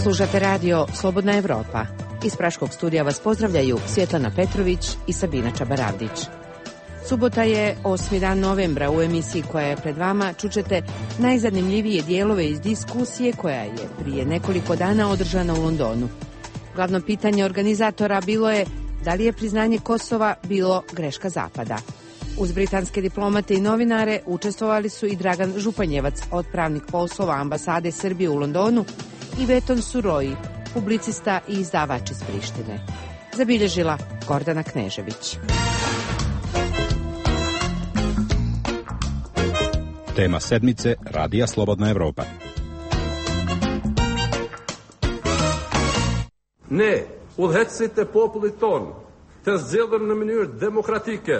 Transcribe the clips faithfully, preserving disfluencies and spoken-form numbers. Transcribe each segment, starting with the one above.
Slušate radio Slobodna Evropa. Iz Praškog studija vas pozdravljaju Svjetlana Petrović i Sabina Čabaravdić. Subota je osmi dan novembra. U emisiji koja je pred vama čućete najzanimljivije dijelove iz diskusije koja je prije nekoliko dana održana u Londonu. Glavno pitanje organizatora bilo je da li je priznanje Kosova bilo greška Zapada. Uz britanske diplomate i novinare učestvovali su i Dragan Županjevac, otpravnik poslova ambasade Srbije u Londonu, i Veton Suroji, publicista i izdavač iz Prištine. Zabilježila Gordana Knežević. Tema sedmice Radija Slobodna Evropa. Ne, udhecite popullit ton të zgjedhur në mënyrë demokratike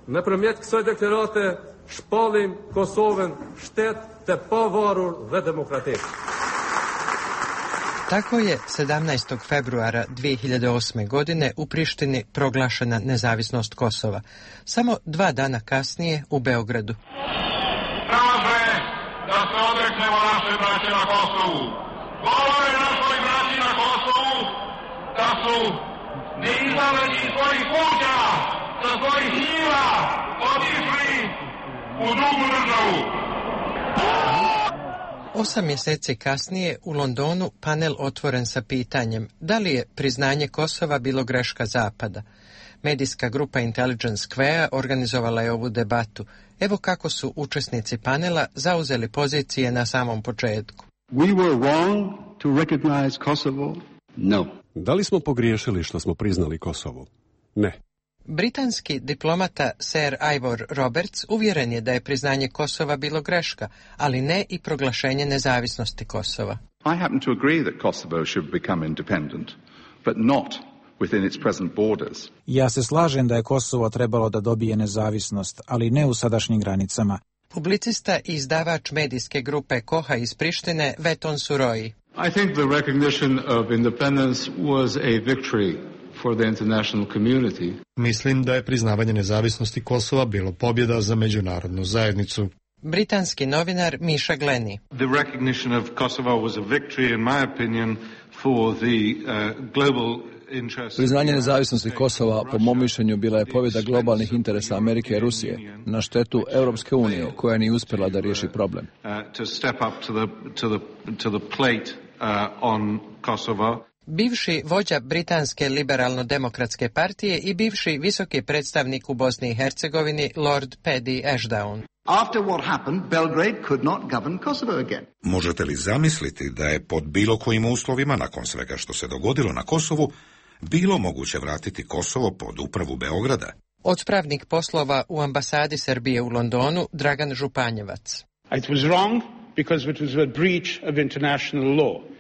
nëpërmjet kësaj deklarate shpallim Kosovën shtet të pavarur dhe demokratik. Tako je sedamnaestog februara dvije hiljade osme. godine u Prištini proglašena nezavisnost Kosova. Samo dva dana kasnije u Beogradu. Traže da se odreknemo naše braće na Kosovu. Govore našoj braći na Kosovu da su neizabrani iz svojih kuća, sa svojih njiva, otišli u drugu državu. Osam mjeseci kasnije u Londonu panel otvoren sa pitanjem da li je priznanje Kosova bilo greška Zapada. Medijska grupa Intelligence Square organizovala je ovu debatu. Evo kako su učesnici panela zauzeli pozicije na samom početku. We were wrong to recognize Kosovo? No. Da li smo pogriješili što smo priznali Kosovo? Ne. Britanski diplomata Sir Ivor Roberts uvjeren je da je priznanje Kosova bilo greška, ali ne i proglašenje nezavisnosti Kosova. I happen to agree that Kosovo should become independent, but not within its present borders. Ja se slažem da je Kosovo trebalo da dobije nezavisnost, ali ne u sadašnjim granicama. Publicista i izdavač medijske grupe Koha iz Prištine Veton Suroji. I think the recognition of independence was a victory for the international community. Mislim da je priznavanje nezavisnosti Kosova bilo pobjeda za međunarodnu zajednicu. Britanski novinar Miša Gleni. The recognition of Kosovo was a victory, in my opinion, for the uh, global interest. Priznanje nezavisnosti Kosova, po mom mišljenju, bila je pobjeda globalnih interesa Amerike i Rusije na štetu Europske unije, koja nije uspjela da riješi problem. Uh, to step up to the to the to the plate uh, on Kosovo. Bivši vođa britanske liberalno-demokratske partije i bivši visoki predstavnik u Bosni i Hercegovini Lord Paddy Ashdown. After what happened, Belgrade could not govern Kosovo again. Možete li zamisliti da je pod bilo kojim uslovima, nakon svega što se dogodilo na Kosovu, bilo moguće vratiti Kosovo pod upravu Beograda? Otpravnik poslova u ambasadi Srbije u Londonu Dragan Županjevac. It was wrong because it was a breach of international law.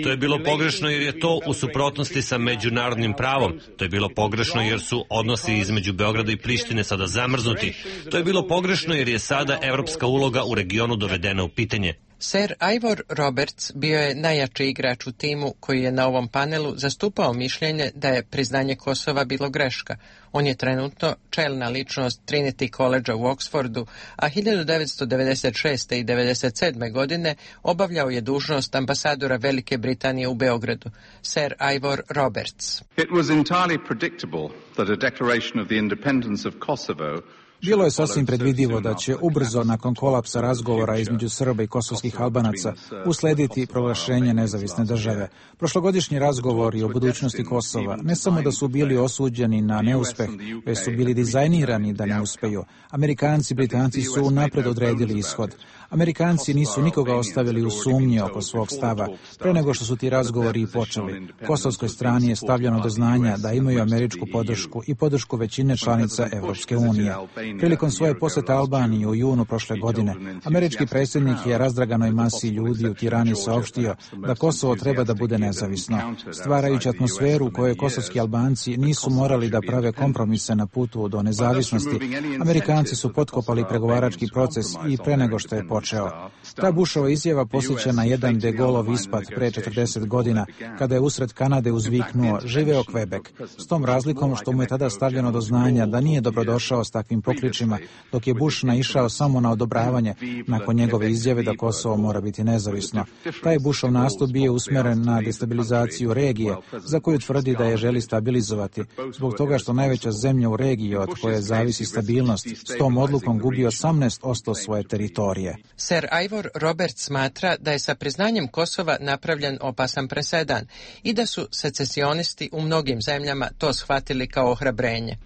To je bilo pogrešno jer je to u suprotnosti sa međunarodnim pravom. To je bilo pogrešno jer su odnosi između Beograda i Prištine sada zamrznuti. To je bilo pogrešno jer je sada evropska uloga u regionu dovedena u pitanje. Sir Ivor Roberts bio je najjači igrač u timu koji je na ovom panelu zastupao mišljenje da je priznanje Kosova bilo greška. On je trenutno čelna ličnost Trinity College u Oxfordu, a hiljadu devetsto devedeset šeste. i devedeset sedme. godine obavljao je dužnost ambasadora Velike Britanije u Beogradu. Sir Ivor Roberts. It was entirely predictable that a declaration of the independence of Kosovo. Bilo je sasvim predvidivo da će ubrzo nakon kolapsa razgovora između Srba i kosovskih Albanaca uslediti proglašenje nezavisne države. Prošlogodišnji razgovori o budućnosti Kosova ne samo da su bili osuđeni na neuspeh, već su bili dizajnirani da ne uspeju. Amerikanci i Britanci su unapred odredili ishod. Amerikanci nisu nikoga ostavili u sumnji oko svog stava pre nego što su ti razgovori i počeli. Kosovskoj strani je stavljeno do znanja da imaju američku podršku i podršku većine članica Evropske unije. Prilikom svoje posjete Albaniji u junu prošle godine, američki predsjednik je razdraganoj masi ljudi u Tirani saopštio da Kosovo treba da bude nezavisno, stvarajući atmosferu u kojoj kosovski Albanci nisu morali da prave kompromise na putu do nezavisnosti. Amerikanci su potkopali pregovarački proces i pre nego što je počeo. Ta Bushova izjava posjeća na jedan de Gaulleov ispad pre četrdeset godina, kada je usred Kanade uzviknuo živeo Quebec, s tom razlikom što mu je tada stavljeno do znanja da nije dobrodošao s takvim pokličima sličima, dok je Bush naišao samo na odobravanje nakon njegove izjave da Kosovo mora biti nezavisno. Taj Bushov nastup bio usmjeren na destabilizaciju regije, za koju tvrdi da je želi stabilizovati, zbog toga što najveća zemlja u regiji od koje zavisi stabilnost s tom odlukom gubi osamnaest posto svoje teritorije. Sir Ivor Roberts smatra da je sa priznanjem Kosova napravljen opasan presedan i da su secesionisti u mnogim zemljama to shvatili kao ohrabrenje.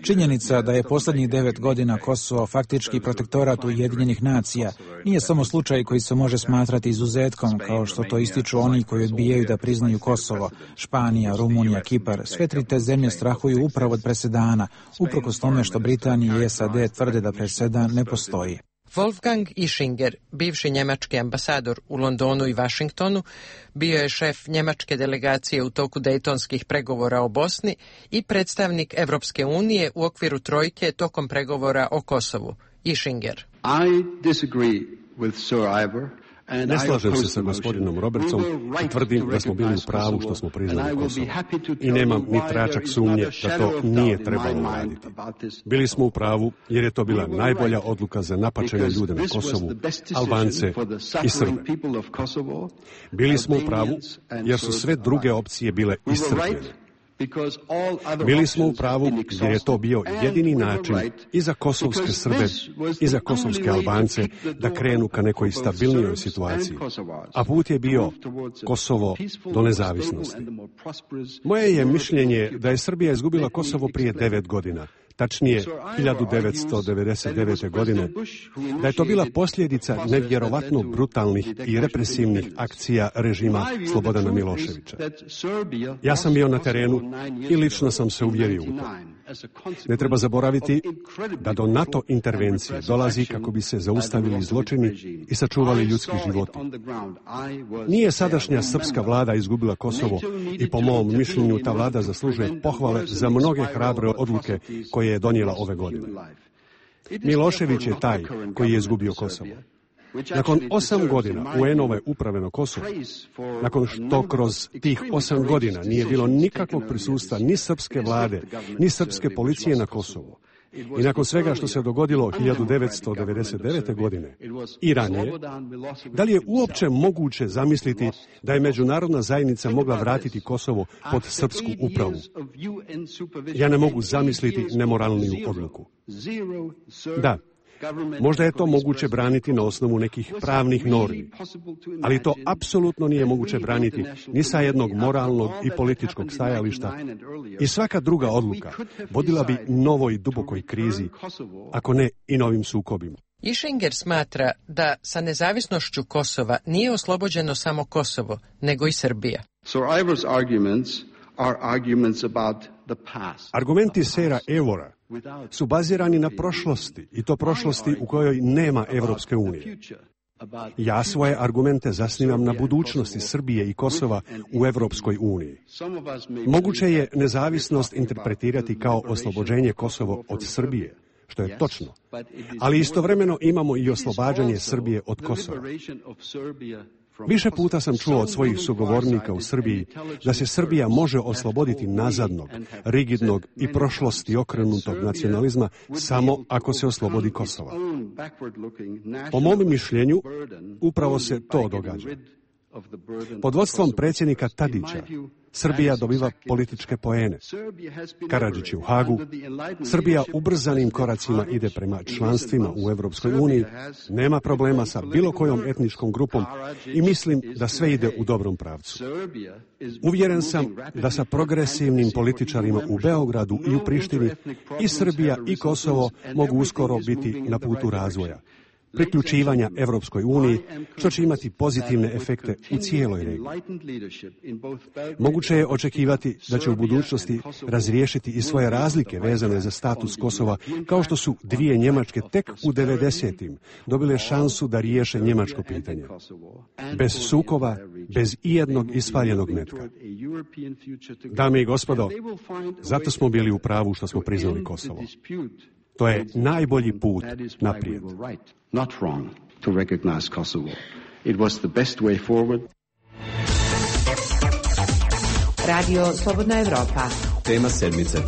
Činjenica da je posljednjih devet godina Kosovo faktički protektorat Ujedinjenih nacija nije samo slučaj koji se može smatrati izuzetkom, kao što to ističu oni koji odbijaju da priznaju Kosovo. Španija, Rumunija, Kipar, sve tri te zemlje strahuju upravo od presedana, uprkos tome što Britanija i S A D tvrde da presedan ne postoji. Wolfgang Ischinger, bivši njemački ambasador u Londonu i Vašingtonu, bio je šef njemačke delegacije u toku dejtonskih pregovora o Bosni i predstavnik Evropske unije u okviru trojke tokom pregovora o Kosovu. Ischinger. I disagree with Sir Ivor. Ne slažem se sa gospodinom Robertsom i tvrdim da smo bili u pravu što smo priznali Kosovo. I nemam ni tračak sumnje da to nije trebalo uraditi. Bili smo u pravu jer je to bila najbolja odluka za napačene ljude na Kosovu, Albance i Srbe. Bili smo u pravu jer su sve druge opcije bile iscrpljene. Bili smo u pravu jer je to bio jedini način i za kosovske Srbe i za kosovske Albance da krenu ka nekoj stabilnijoj situaciji. A put je bio Kosovo do nezavisnosti. Moje je mišljenje da je Srbija izgubila Kosovo prije devet godina. Tačnije, hiljadu devetsto devedeset devete. godine, da je to bila posljedica nevjerovatno brutalnih i represivnih akcija režima Slobodana Miloševića. Ja sam bio na terenu i lično sam se uvjerio u to. Ne treba zaboraviti da do NATO intervencije dolazi kako bi se zaustavili zločini i sačuvali ljudski životi. Nije sadašnja srpska vlada izgubila Kosovo i po mom mišljenju ta vlada zaslužuje pohvale za mnoge hrabre odluke koje je donijela ove godine. Milošević je taj koji je izgubio Kosovo. Nakon osam godina U N-ove uprave na Kosovu, nakon što kroz tih osam godina nije bilo nikakvog prisustva ni srpske vlade, ni srpske policije na Kosovu, i nakon svega što se dogodilo hiljadu devetsto devedeset devete. godine i ranije, da li je uopće moguće zamisliti da je međunarodna zajednica mogla vratiti Kosovo pod srpsku upravu? Ja ne mogu zamisliti nemoralniju odluku. Da, možda je to moguće braniti na osnovu nekih pravnih normi, ali to apsolutno nije moguće braniti ni sa jednog moralnog i političkog stajališta i svaka druga odluka vodila bi novoj dubokoj krizi, ako ne i novim sukobima. Ischinger smatra da sa nezavisnošću Kosova nije oslobođeno samo Kosovo, nego i Srbija. Sir Ivor's arguments are arguments about the past. Argumenti Sira Ivora su bazirani na prošlosti, i to prošlosti u kojoj nema Evropske unije. Ja svoje argumente zasnivam na budućnosti Srbije i Kosova u Evropskoj uniji. Moguće je nezavisnost interpretirati kao oslobođenje Kosova od Srbije, što je točno, ali istovremeno imamo i oslobađanje Srbije od Kosova. Više puta sam čuo od svojih sugovornika u Srbiji da se Srbija može osloboditi nazadnog, rigidnog i prošlosti okrenutog nacionalizma samo ako se oslobodi Kosova. Po mom mišljenju, upravo se to događa. Pod vodstvom predsjednika Tadića, Srbija dobiva političke poene. Karadžić je u Hagu. Srbija ubrzanim koracima ide prema članstvima u Evropskoj uniji, nema problema sa bilo kojom etničkom grupom i mislim da sve ide u dobrom pravcu. Uvjeren sam da sa progresivnim političarima u Beogradu i u Prištini i Srbija i Kosovo mogu uskoro biti na putu razvoja, priključivanja Evropskoj uniji, što će imati pozitivne efekte u cijeloj regiji. Moguće je očekivati da će u budućnosti razriješiti i svoje razlike vezane za status Kosova, kao što su dvije Njemačke tek u devedesetim dobile šansu da riješe njemačko pitanje. Bez sukoba, bez ijednog ispaljenog metka. Dame i gospodo, zato smo bili u pravu što smo priznali Kosovo. To je najbolji put naprijed. Not wrong to recognize Kosovo. It was the best way forward. Radio Slobodna Evropa, Tema sedmice.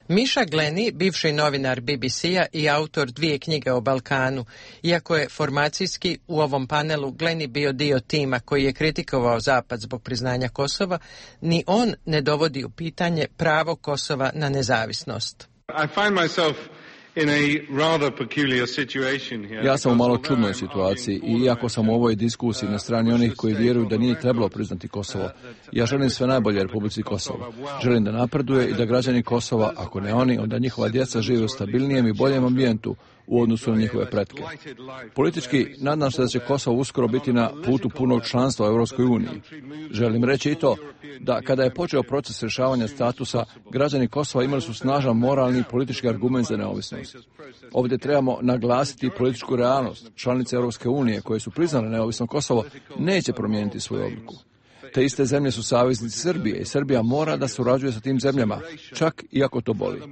Miša Glenny, bivši novinar B B C-a i autor dvije knjige o Balkanu, iako je formacijski u ovom panelu Glenny bio dio tima koji je kritikovao Zapad zbog priznanja Kosova, ni on ne dovodi u pitanje pravo Kosova na nezavisnost. I find myself in a rather peculiar situation here. Ja sam u malo čudnoj situaciji i iako sam u ovoj diskusiji na strani onih koji vjeruju da nije trebalo priznati Kosovo, ja želim sve najbolje Republici Kosovo. Želim da napreduje i da građani Kosova, ako ne oni, onda njihova djeca žive u stabilnijem i boljem ambijentu u odnosu na njihove pretke. Politički, nadam se da će Kosovo uskoro biti na putu punog članstva u Europskoj uniji. Želim reći i to da kada je počeo proces rješavanja statusa, građani Kosova imali su snažan moralni i politički argument za neovisnost. Ovdje trebamo naglasiti političku realnost. Članice Europske unije koje su priznale neovisno Kosovo neće promijeniti svoju odluku. Te iste zemlje su saveznici Srbije i Srbija mora da surađuje sa tim zemljama, čak i ako to boli.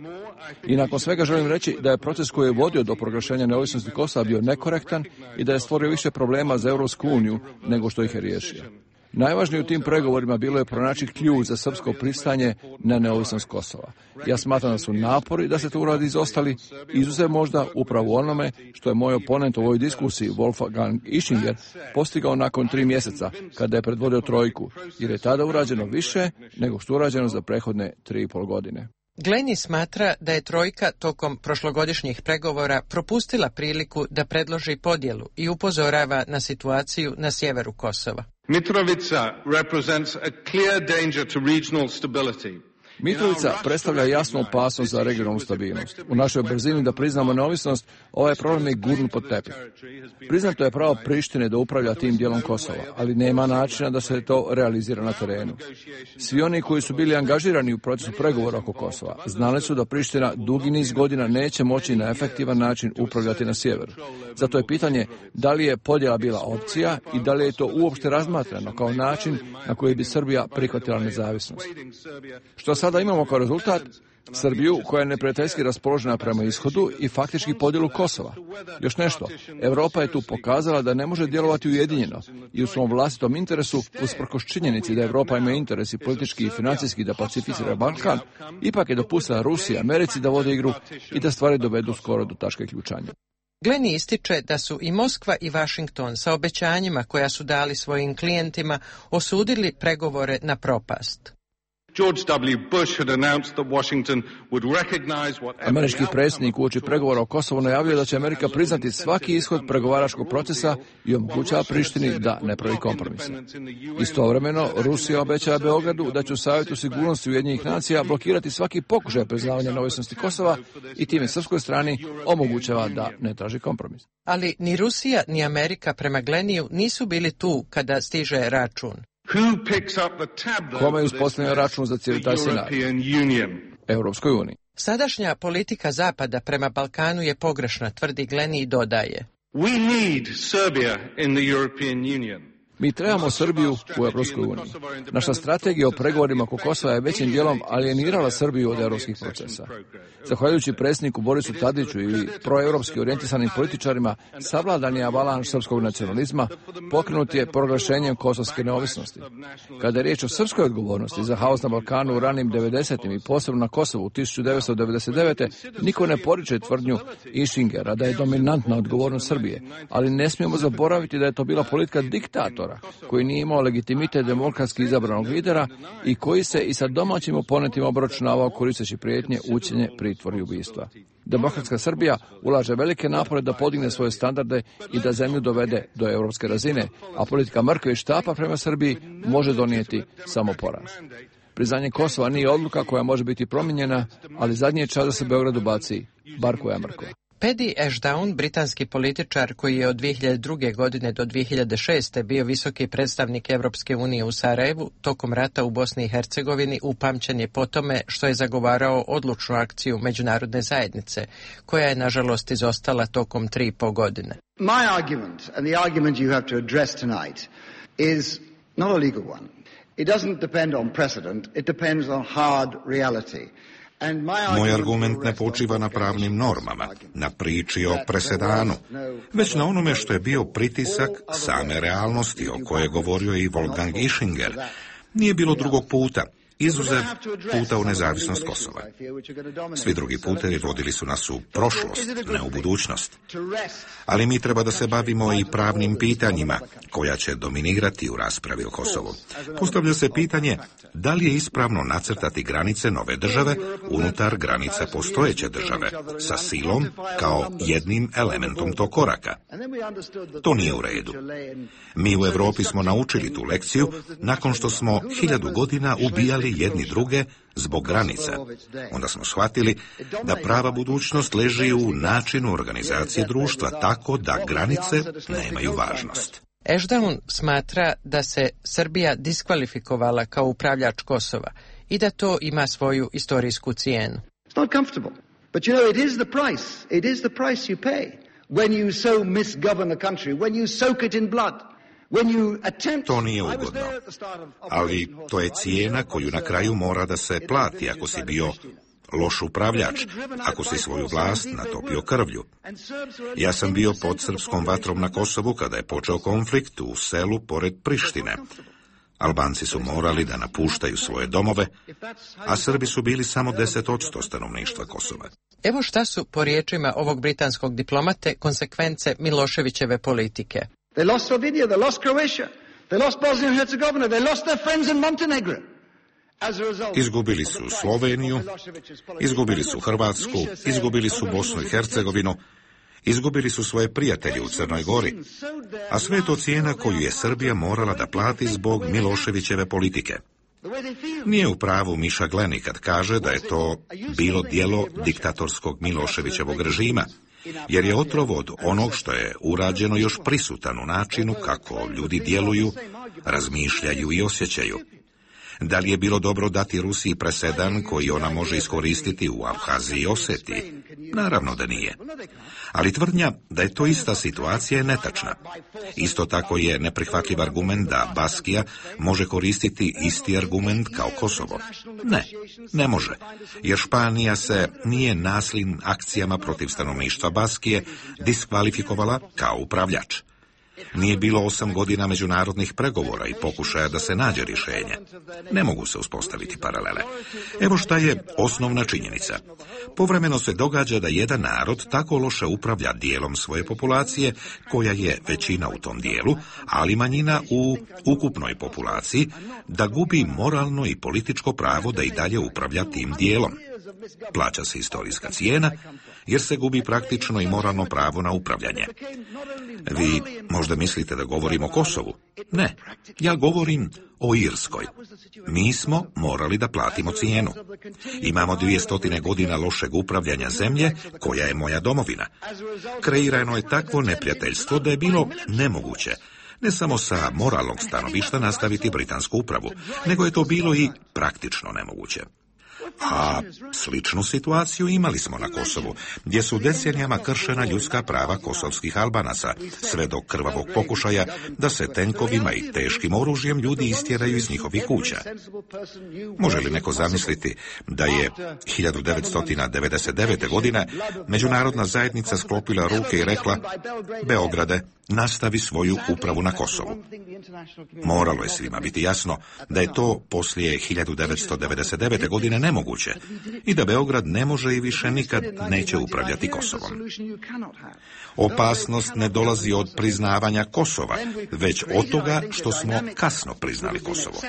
I nakon svega želim reći da je proces koji je vodio do proglašenja neovisnosti Kosova bio nekorektan i da je stvorio više problema za Europsku uniju nego što ih je riješio. Najvažnije u tim pregovorima bilo je pronaći ključ za srpsko pristanje na neovisnost Kosova. Ja smatram da su napori da se to uradi izostali, izuzev možda upravo onome što je moj oponent u ovoj diskusiji, Wolfgang Ischinger, postigao nakon tri mjeseca kada je predvodio trojku, jer je tada urađeno više nego što je urađeno za prethodne tri i pol godine. Glenny smatra da je trojka tokom prošlogodišnjih pregovora propustila priliku da predloži podjelu i upozorava na situaciju na sjeveru Kosova. Mitrovica represents a clear danger to regional stability. Mitrovica predstavlja jasnu opasnost za regionalnu stabilnost. U našoj brzini da priznamo neovisnost, ovaj problem je gurnut pod tepih. Priznato je pravo Prištine da upravlja tim dijelom Kosova, ali nema načina da se to realizira na terenu. Svi oni koji su bili angažirani u procesu pregovora oko Kosova znali su da Priština dugi niz godina neće moći na efektivan način upravljati na sjeveru. Zato je pitanje da li je podjela bila opcija i da li je to uopšte razmatrano kao način na koji bi Srbija prihvatila nezavisnost. Što sada imamo kao rezultat Srbiju koja je neprijateljski raspoložena prema ishodu i faktički podjelu Kosova. Još nešto, Europa je tu pokazala da ne može djelovati ujedinjeno i u svom vlastitom interesu, usprkos činjenici da Europa ima interes i politički i financijski da pacificira Balkan, ipak je dopustila Rusiji i Americi da vode igru i da stvari dovedu skoro do tačke ključanja. Glenny ističe da su i Moskva i Washington sa obećanjima koja su dali svojim klijentima osudili pregovore na propast. George W. Bush had announced that Washington would recognize what Američki predsjednik uoči pregovora o Kosovu najavio da će Amerika priznati svaki ishod pregovaračkog procesa i omogućava Prištini da ne pravi kompromise. Istovremeno, Rusija obećava Beogradu da će u Savjetu sigurnosti Ujedinjenih nacija blokirati svaki pokušaj priznavanja neovisnosti Kosova i time srpskoj strani omogućava da ne traži kompromis. Ali ni Rusija ni Amerika prema Gleniju nisu bili tu kada stiže račun. Kome je uspostavljen račun za cijeli taj scenarij? Europskoj uniji. Sadašnja politika Zapada prema Balkanu je pogrešna, tvrdi Glenny i dodaje. We need Serbia in the European Union. Mi trebamo Srbiju u Europskoj uniji. Naša strategija o pregovorima oko Kosova je većim dijelom alijenirala Srbiju od europskih procesa. Zahvaljujući predsjedniku Borisu Tadiću ili proeuropski orijentisanim političarima, savladan je avalanš srpskog nacionalizma, pokrenut je proglašenjem kosovske neovisnosti. Kada je riječ o srpskoj odgovornosti za haos na Balkanu u ranim devedesetim i posebno na Kosovu u tisuću devetsto devedeset devete. niko ne poriče tvrdnju Ischingera da je dominantna odgovornost Srbije, ali ne smijemo zaboraviti da je to bila politika diktatora koji nije imao legitimitet demokratski izabranog lidera i koji se i sa domaćim oponentima obračunavao koristeći prijetnje, ucjene, pritvor i ubistva. Demokratska Srbija ulaže velike napore da podigne svoje standarde i da zemlju dovede do europske razine, a politika mrkve i štapa prema Srbiji može donijeti samo poraz. Priznanje Kosova nije odluka koja može biti promijenjena, ali zadnji je čas da se Beogradu baci bar koja mrkva. Paddy Ashdown, britanski političar koji je od dvije hiljade druge. godine do dvije hiljade šeste. bio visoki predstavnik Europske unije u Sarajevu, tokom rata u Bosni i Hercegovini upamćen je po tome što je zagovarao odlučnu akciju međunarodne zajednice, koja je nažalost izostala tokom tri i po godine. My argument, and the argument you have to address tonight, is not a legal one. It doesn't depend on precedent, it depends on hard reality. Moj argument ne počiva na pravnim normama, na priči o presedanu, već na onome što je bio pritisak same realnosti o kojoj je govorio i Wolfgang Ischinger, Nije bilo drugog puta, izuzev puta u nezavisnost Kosova. Svi drugi putevi vodili su nas u prošlost, ne u budućnost. Ali mi treba da se bavimo i pravnim pitanjima koja će dominirati u raspravi o Kosovu. Postavlja se pitanje da li je ispravno nacrtati granice nove države unutar granica postojeće države sa silom kao jednim elementom tog koraka. To nije u redu. Mi u Europi smo naučili tu lekciju nakon što smo hiljadu godina ubijali jedni druge zbog granica. Onda smo shvatili da prava budućnost leži u načinu organizacije društva tako da granice nemaju važnost. Ešdaun smatra da se Srbija diskvalifikovala kao upravljač Kosova i da to ima svoju istorijsku cijenu. It's not comfortable, but you know it is the price. It is the price you pay when you so misgovern a country, when you soak it in blood. To nije ugodno, ali to je cijena koju na kraju mora da se plati ako si bio loš upravljač, ako si svoju vlast natopio krvlju. Ja sam bio pod srpskom vatrom na Kosovu kada je počeo konflikt u selu pored Prištine. Albanci su morali da napuštaju svoje domove, a Srbi su bili samo deset posto stanovništva Kosova. Evo šta su, po riječima ovog britanskog diplomate, konsekvence Miloševićeve politike. They lost Slovenia, they lost Croatia, they lost Bosnia and Herzegovina, they lost their friends in Montenegro. Izgubili su Sloveniju, izgubili su Hrvatsku, izgubili su Bosnu i Hercegovinu, izgubili su svoje prijatelje u Crnoj Gori, a sve to cijena koju je Srbija morala da plati zbog Miloševićeve politike. Nije u pravu Miša Gleni kad kaže da je to bilo djelo diktatorskog Miloševićevog režima, jer je otrov od onog što je urađeno još prisutan u načinu kako ljudi djeluju, razmišljaju i osjećaju. Da li je bilo dobro dati Rusiji presedan koji ona može iskoristiti u Abhaziji i Osetiji? Naravno da nije. Ali tvrdnja da je to ista situacija je netačna. Isto tako je neprihvatljiv argument da Baskija može koristiti isti argument kao Kosovo. Ne, ne može, jer Španija se nije nasilnim akcijama protiv stanovništva Baskije diskvalifikovala kao upravljač. Nije bilo osam godina međunarodnih pregovora i pokušaja da se nađe rješenje. Ne mogu se uspostaviti paralele. Evo šta je osnovna činjenica. Povremeno se događa da jedan narod tako loše upravlja dijelom svoje populacije, koja je većina u tom dijelu, ali manjina u ukupnoj populaciji, da gubi moralno i političko pravo da i dalje upravlja tim dijelom. Plaća se istorijska cijena, jer se gubi praktično i moralno pravo na upravljanje. Vi možda mislite da govorim o Kosovu. Ne, ja govorim o Irskoj. Mi smo morali da platimo cijenu. Imamo dvije stotine godina lošeg upravljanja zemlje, koja je moja domovina. Kreirano je takvo neprijateljstvo da je bilo nemoguće ne samo sa moralnog stanovišta nastaviti britansku upravu, nego je to bilo i praktično nemoguće. A sličnu situaciju imali smo na Kosovu, gdje su decenijama kršena ljudska prava kosovskih Albanaca, sve do krvavog pokušaja da se tenkovima i teškim oružjem ljudi istjeraju iz njihovih kuća. Može li neko zamisliti da je hiljadu devetsto devedeset devete. godine međunarodna zajednica sklopila ruke i rekla: Beograde, nastavi svoju upravu na Kosovu. Moralo je svima biti jasno da je to poslije hiljadu devetsto devedeset devete. godine nemoguće i da Beograd ne može i više nikad neće upravljati Kosovom. Opasnost ne dolazi od priznavanja Kosova, već od toga što smo kasno priznali Kosovo.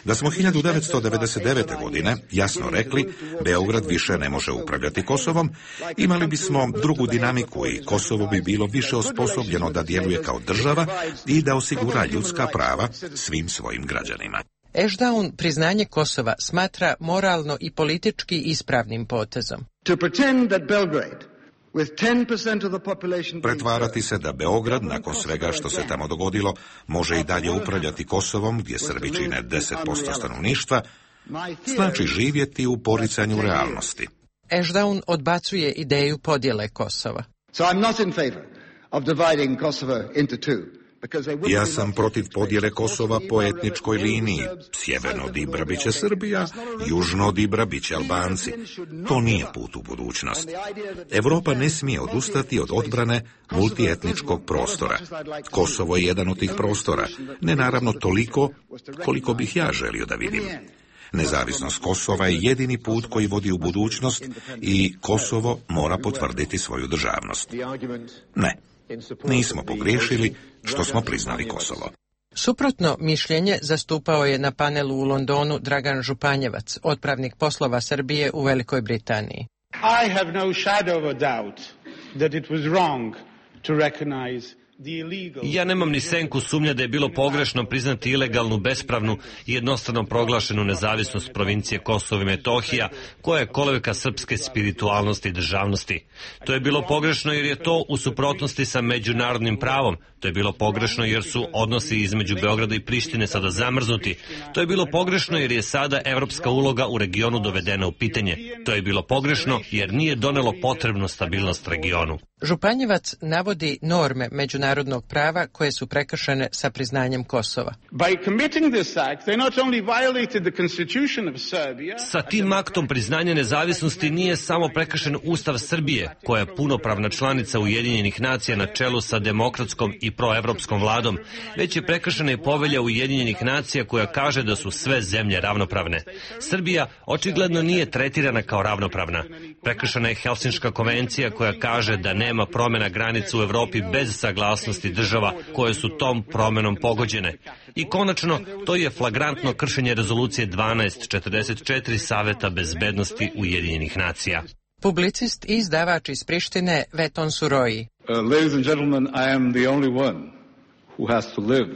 Da smo hiljadu devetsto devedeset devete. godine jasno rekli Beograd više ne može upravljati Kosovom, imali bismo drugu dinamiku i Kosovo bi bilo više osposobljeno da djeluje kao država i da osigura ljudska prava svim svojim građanima. Ešdaun priznanje Kosova smatra moralno i politički ispravnim potezom. Pretvarati se da Beograd, nakon svega što se tamo dogodilo, može i dalje upravljati Kosovom, gdje Srbi čine deset posto stanovništva, znači živjeti u poricanju realnosti. Ešdaun odbacuje ideju podjele Kosova. So I'm not in favor of dividing Kosovo into two. Ja sam protiv podjele Kosova po etničkoj liniji. Sjeverno od Ibra biće Srbija, južno od Ibra biće Albanci. To nije put u budućnost. Europa ne smije odustati od odbrane multietničkog prostora. Kosovo je jedan od tih prostora. Ne naravno toliko koliko bih ja želio da vidim. Nezavisnost Kosova je jedini put koji vodi u budućnost i Kosovo mora potvrditi svoju državnost. Ne, nismo pogriješili što smo priznali Kosovo. Suprotno mišljenje zastupao je na panelu u Londonu Dragan Županjevac, otpravnik poslova Srbije u Velikoj Britaniji. I have no shadow of a doubt that it was wrong to recognize. Ja nemam ni senku sumnje da je bilo pogrešno priznati ilegalnu, bespravnu i jednostrano proglašenu nezavisnost provincije Kosovo i Metohija, koja je kolevka srpske spiritualnosti i državnosti. To je bilo pogrešno jer je to u suprotnosti sa međunarodnim pravom. To je bilo pogrešno jer su odnosi između Beograda i Prištine sada zamrznuti. To je bilo pogrešno jer je sada evropska uloga u regionu dovedena u pitanje. To je bilo pogrešno jer nije donelo potrebnu stabilnost regionu. Županjevac navodi norme međunarodnog prava koje su prekršene sa priznanjem Kosova. Sa tim aktom priznanja nezavisnosti nije samo prekršen Ustav Srbije, koja je punopravna članica Ujedinjenih nacija na čelu sa demokratskom i proevropskom vladom, već je prekršena i povelja Ujedinjenih nacija koja kaže da su sve zemlje ravnopravne. Srbija očigledno nije tretirana kao ravnopravna. Prekršena je Helsinška konvencija koja kaže da nema promjena granica u Evropi bez saglasnosti država koje su tom promenom pogođene. I konačno, to je flagrantno kršenje rezolucije dvanaest četrdeset četiri Saveta bezbednosti Ujedinjenih nacija. Publicist i izdavač iz Prištine Veton Suroji. Uh, ladies and gentlemen, I am the only one who has to live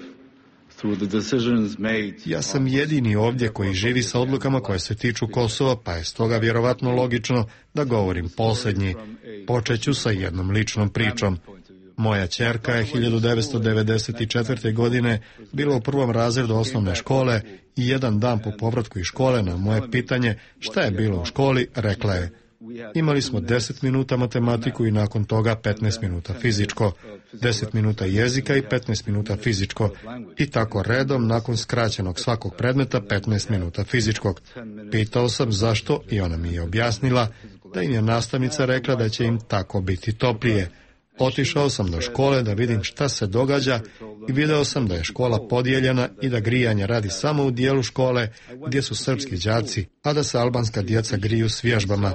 through the decisions made. Ja sam jedini ovdje koji živi sa odlukama koje se tiču Kosova, pa je stoga vjerovatno logično da govorim posljednji. Počeću sa jednom ličnom pričom. Moja ćerka je hiljadu devetsto devedeset četvrte. godine bila u prvom razredu osnovne škole i jedan dan po povratku iz škole na moje pitanje šta je bilo u školi, rekla je: imali smo deset minuta matematiku i nakon toga petnaest minuta fizičko, deset minuta jezika i petnaest minuta fizičko i tako redom nakon skraćenog svakog predmeta petnaest minuta fizičkog. Pitao sam zašto i ona mi je objasnila da im je nastavnica rekla da će im tako biti toplije. Otišao sam do škole da vidim šta se događa i video sam da je škola podijeljena i da grijanje radi samo u dijelu škole gdje su srpski đaci, a da se albanska djeca griju s vježbama.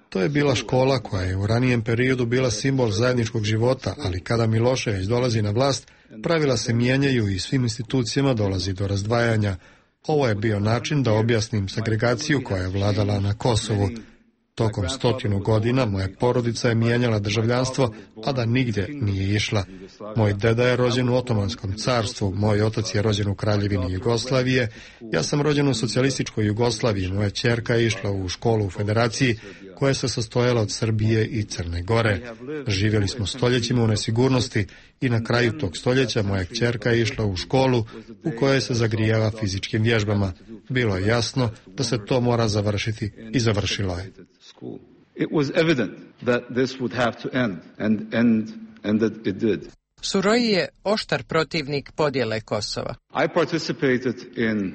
To je bila škola koja je u ranijem periodu bila simbol zajedničkog života, ali kada Milošević dolazi na vlast, pravila se mijenjaju i svim institucijama dolazi do razdvajanja. Ovo je bio način da objasnim segregaciju koja je vladala na Kosovu. Tokom stotinu godina moja porodica je mijenjala državljanstvo, a da nigdje nije išla. Moj deda je rođen u Otomanskom carstvu, moj otac je rođen u Kraljevini Jugoslavije, ja sam rođen u socijalističkoj Jugoslaviji, moja ćerka je išla u školu u Federaciji, koja se sastojala od Srbije i Crne Gore. Živjeli smo stoljećima u nesigurnosti i na kraju tog stoljeća moja ćerka je išla u školu u kojoj se zagrijava fizičkim vježbama. Bilo je jasno da se to mora završiti i završilo je. It was evident that this would have to end and end and that it did. Suroji je oštar protivnik podjele Kosova. I participated in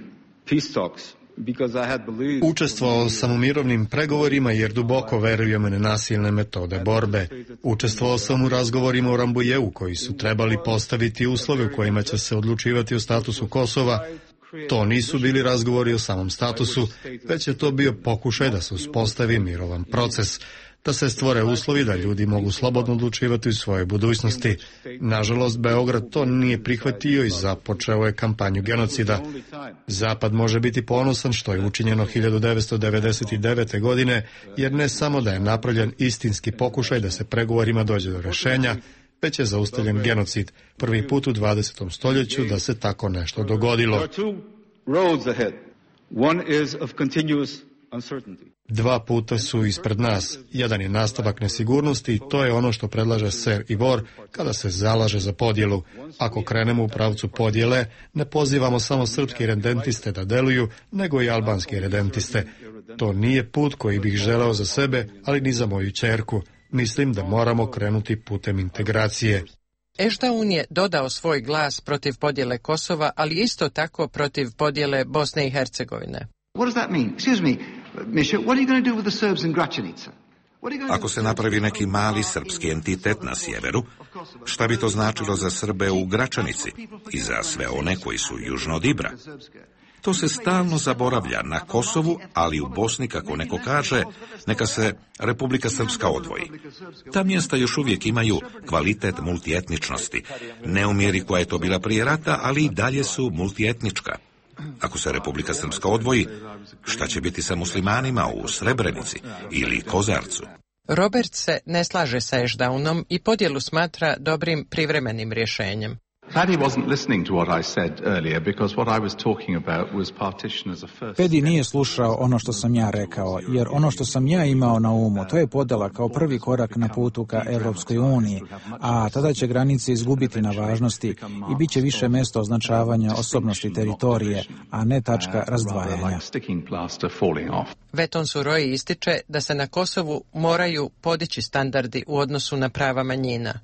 peace talks because I had believed. Učestvovao sam u mirovnim pregovorima jer duboko verujem u nenasilne metode borbe. Učestvovao sam u razgovorima u Rambujevu koji su trebali postaviti uslove u kojima će se odlučivati o statusu Kosova. To nisu bili razgovori o samom statusu, već je to bio pokušaj da se uspostavi mirovan proces, da se stvore uslovi da ljudi mogu slobodno odlučivati u svojoj budućnosti. Nažalost, Beograd to nije prihvatio i započeo je kampanju genocida. Zapad može biti ponosan što je učinjeno hiljadu devetsto devedeset devete. godine, jer ne samo da je napravljen istinski pokušaj da se pregovorima dođe do rješenja, već je zaustavljen genocid. Prvi put u dvadesetom stoljeću da se tako nešto dogodilo. Dva puta su ispred nas. Jedan je nastavak nesigurnosti i to je ono što predlaže ser Ivor kada se zalaže za podjelu. Ako krenemo u pravcu podjele, ne pozivamo samo srpske redentiste da deluju, nego i albanske redentiste. To nije put koji bih želeo za sebe, ali ni za moju ćerku. Mislim da moramo krenuti putem integracije. Ešdaun je dodao svoj glas protiv podjele Kosova, ali isto tako protiv podjele Bosne i Hercegovine. What does that mean? Excuse me, Misha, what are you going to do with the Serbs in Gračanica? Ako se napravi neki mali srpski entitet na sjeveru, šta bi to značilo za Srbe u Gračanici i za sve one koji su južno od Ibra? To se stalno zaboravlja na Kosovu, ali u Bosni, kako neko kaže, neka se Republika Srpska odvoji. Ta mjesta još uvijek imaju kvalitet multietničnosti, ne u mjeri koja je to bila prije rata, ali i dalje su multietnička. Ako se Republika Srpska odvoji, šta će biti sa muslimanima u Srebrenici ili Kozarcu? Robert se ne slaže sa Ešdaunom i podjelu smatra dobrim privremenim rješenjem. Pedi nije slušao ono što sam ja rekao, jer ono što sam ja imao na umu, to je podjela kao prvi korak na putu ka Europskoj uniji, a tada će granice izgubiti na važnosti i bit će više mjesto označavanja osobnosti teritorije, a ne tačka razdvajanja. Veton Suroji ističe da se na Kosovu moraju podići standardi u odnosu na prava manjina.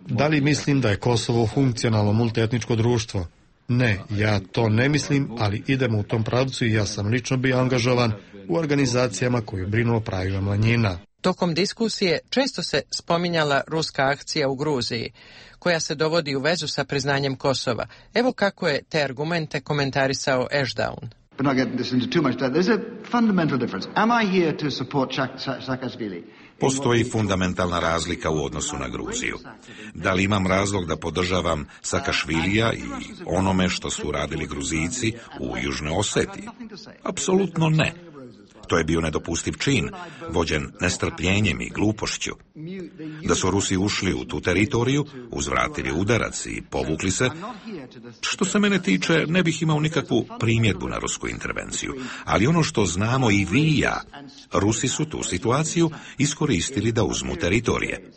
Da li mislim da je Kosovo funkcionalno multietničko društvo? Ne, ja to ne mislim, ali idemo u tom pravcu i ja sam lično bio angažovan u organizacijama koje brinu o pravima manjina. Tokom diskusije često se spominjala ruska akcija u Gruziji, koja se dovodi u vezu sa priznanjem Kosova. Evo kako je te argumente komentarisao Ešdaun. But not getting this into too much depth. There's a fundamental difference. Am I here to support Saakashvili? Postoji fundamentalna razlika u odnosu na Gruziju. Da li imam razlog da podržavam Saakašvilija i onome što su radili Gruzijci u Južnoj Osetiji? Apsolutno ne. To je bio nedopustiv čin, vođen nestrpljenjem i glupošću. Da su Rusi ušli u tu teritoriju, uzvratili udarac i povukli se, što se mene tiče, ne bih imao nikakvu primjedbu na rusku intervenciju. Ali ono što znamo i vi i ja, Rusi su tu situaciju iskoristili da uzmu teritorije.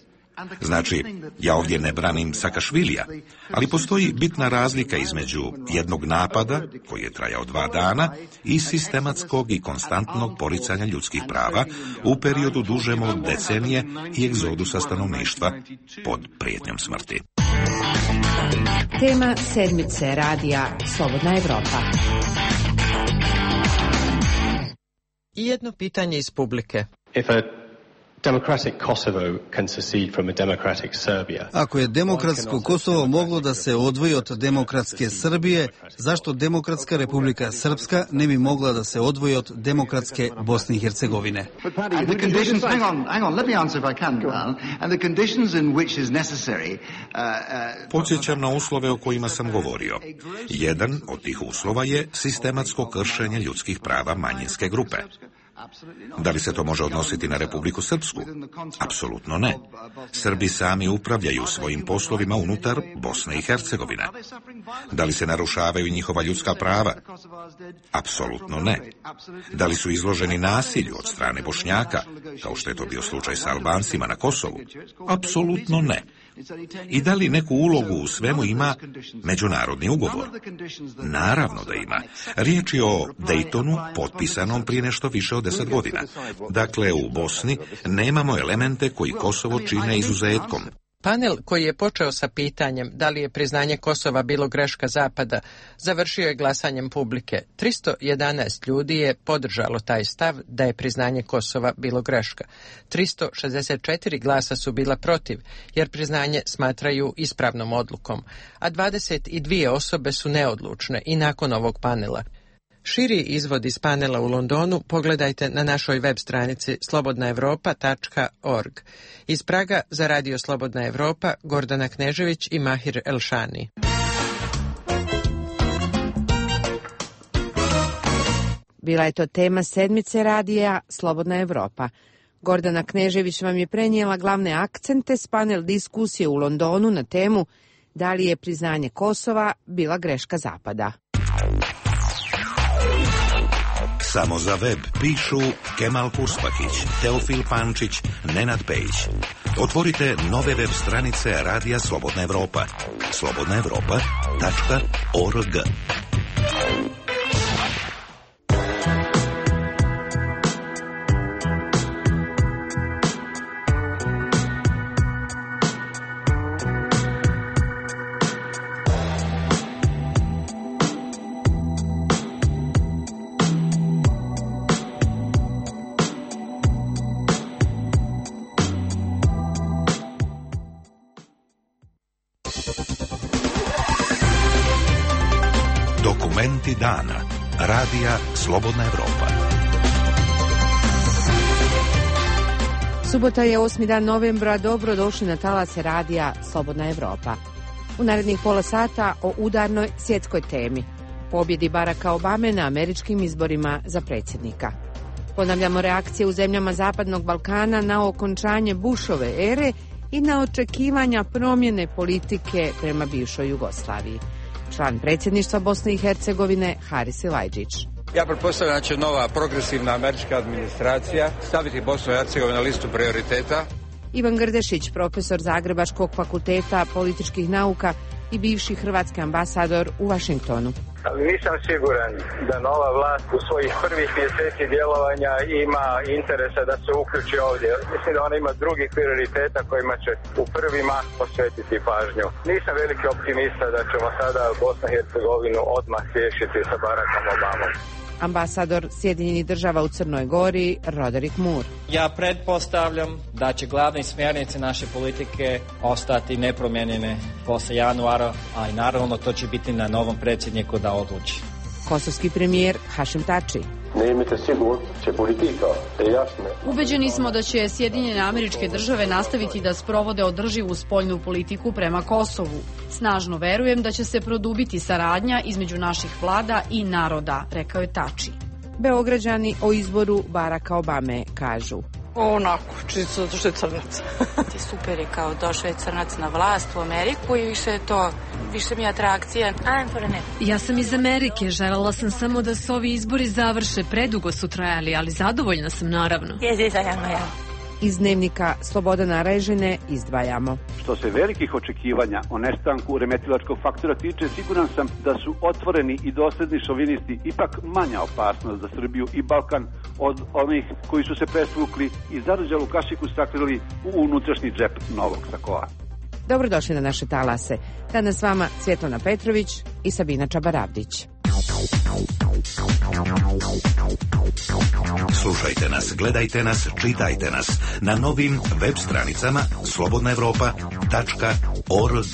Znači, ja ovdje ne branim Saakašvilija, ali postoji bitna razlika između jednog napada, koji je trajao dva dana, i sistematskog i konstantnog poricanja ljudskih prava u periodu dužem od decenije i egzodusa stanovništva pod prijetnjom smrti. Tema sedmice radija Slobodna Evropa. I jedno pitanje iz publike. Ako je demokratsko Kosovo moglo da se odvoji od demokratske Srbije, zašto demokratska Republika Srpska ne bi mogla da se odvoji od demokratske Bosne i Hercegovine? Podsjećam na uslove o kojima sam govorio. Jedan od tih uslova je sistematsko kršenje ljudskih prava manjinske grupe. Da li se to može odnositi na Republiku Srpsku? Apsolutno ne. Srbi sami upravljaju svojim poslovima unutar Bosne i Hercegovine. Da li se narušavaju njihova ljudska prava? Apsolutno ne. Da li su izloženi nasilju od strane Bošnjaka, kao što je to bio slučaj sa Albancima na Kosovu? Apsolutno ne. I da li neku ulogu u svemu ima međunarodni ugovor? Naravno da ima. Riječ je o Daytonu, potpisanom prije nešto više od deset godina. Dakle, u Bosni nemamo elemente koji Kosovo čine izuzetkom. Panel koji je počeo sa pitanjem da li je priznanje Kosova bilo greška Zapada, završio je glasanjem publike. tristo jedanaest ljudi je podržalo taj stav da je priznanje Kosova bilo greška. tristo šezdeset četiri glasa su bila protiv, jer priznanje smatraju ispravnom odlukom, a dvadeset dvije osobe su neodlučne i nakon ovog panela. Širi izvod iz panela u Londonu pogledajte na našoj web stranici slobodna evropa tačka org. Iz Praga za Radio Slobodna Evropa Gordana Knežević i Mahir Elšani. Bila je to tema sedmice radija Slobodna Evropa. Gordana Knežević vam je prenijela glavne akcente s panel diskusije u Londonu na temu da li je priznanje Kosova bila greška Zapada. Samo za web pišu Kemal Kuspakić, Teofil Pančić, Nenad Pejić. Otvorite nove web stranice Radija Slobodna Evropa. slobodna evropa tačka org. Dokumenti dana. Radija Slobodna Evropa. Subota je osmi dan novembra, dobro došli na talase radija Slobodna Evropa. U narednih pola sata o udarnoj svjetskoj temi, pobjedi Baracka Obame na američkim izborima za predsjednika. Ponavljamo reakcije u zemljama Zapadnog Balkana na okončanje Bushove ere i na očekivanja promjene politike prema bivšoj Jugoslaviji. Član predsjedništva Bosne i Hercegovine Haris Silajdžić. Ja pretpostavljam da će nova progresivna američka administracija staviti Bosnu i Hercegovinu na listu prioriteta. Ivan Grdešić, profesor Zagrebačkog fakulteta političkih nauka i bivši hrvatski ambasador u Vašingtonu. Nisam siguran da nova vlast u svojih prvih mjeseci djelovanja ima interesa da se uključi ovdje. Mislim da ona ima drugih prioriteta kojima će u prvi mah posvetiti pažnju. Nisam veliki optimista da ćemo sada Bosnu i Hercegovinu odmah riješiti sa Barackom Obamom. Ambasador Sjedinjenih država u Crnoj Gori, Roderick Moore. Ja pretpostavljam da će glavne smjernice naše politike ostati nepromijenjene poslije januara, a i naravno to će biti na novom predsjedniku da odluči. Kosovski premijer Hašim Tači. Ubeđeni smo da će Sjedinjene Američke Države nastaviti da sprovode održivu spoljnu politiku prema Kosovu. Snažno verujem da će se produbiti saradnja između naših vlada i naroda, rekao je Tači. Beograđani o izboru Baracka Obame kažu. Onako, čisto zato što je crnac. Super je kao došao je crnac na vlast u Ameriku i više je to, više mi je atrakcija. Ja sam iz Amerike, željela sam samo da se ovi izbori završe, predugo su trajali, ali zadovoljna sam naravno. Iz dnevnika Slobodana Režine izdvajamo. Što se velikih očekivanja o nestanku remetilačkog faktora tiče, siguran sam da su otvoreni i dosledni šovinisti ipak manja opasnost za Srbiju i Balkan od onih koji su se presvukli i zarđalu kašiku sakrili u unutrašnji džep novog sakoa. Dobrodošli na naše talase. Danas s vama Svjetlana Petrović i Sabina Čabaravdić. Slušajte nas, gledajte nas, čitajte nas na novim web stranicama slobodna evropa tačka org.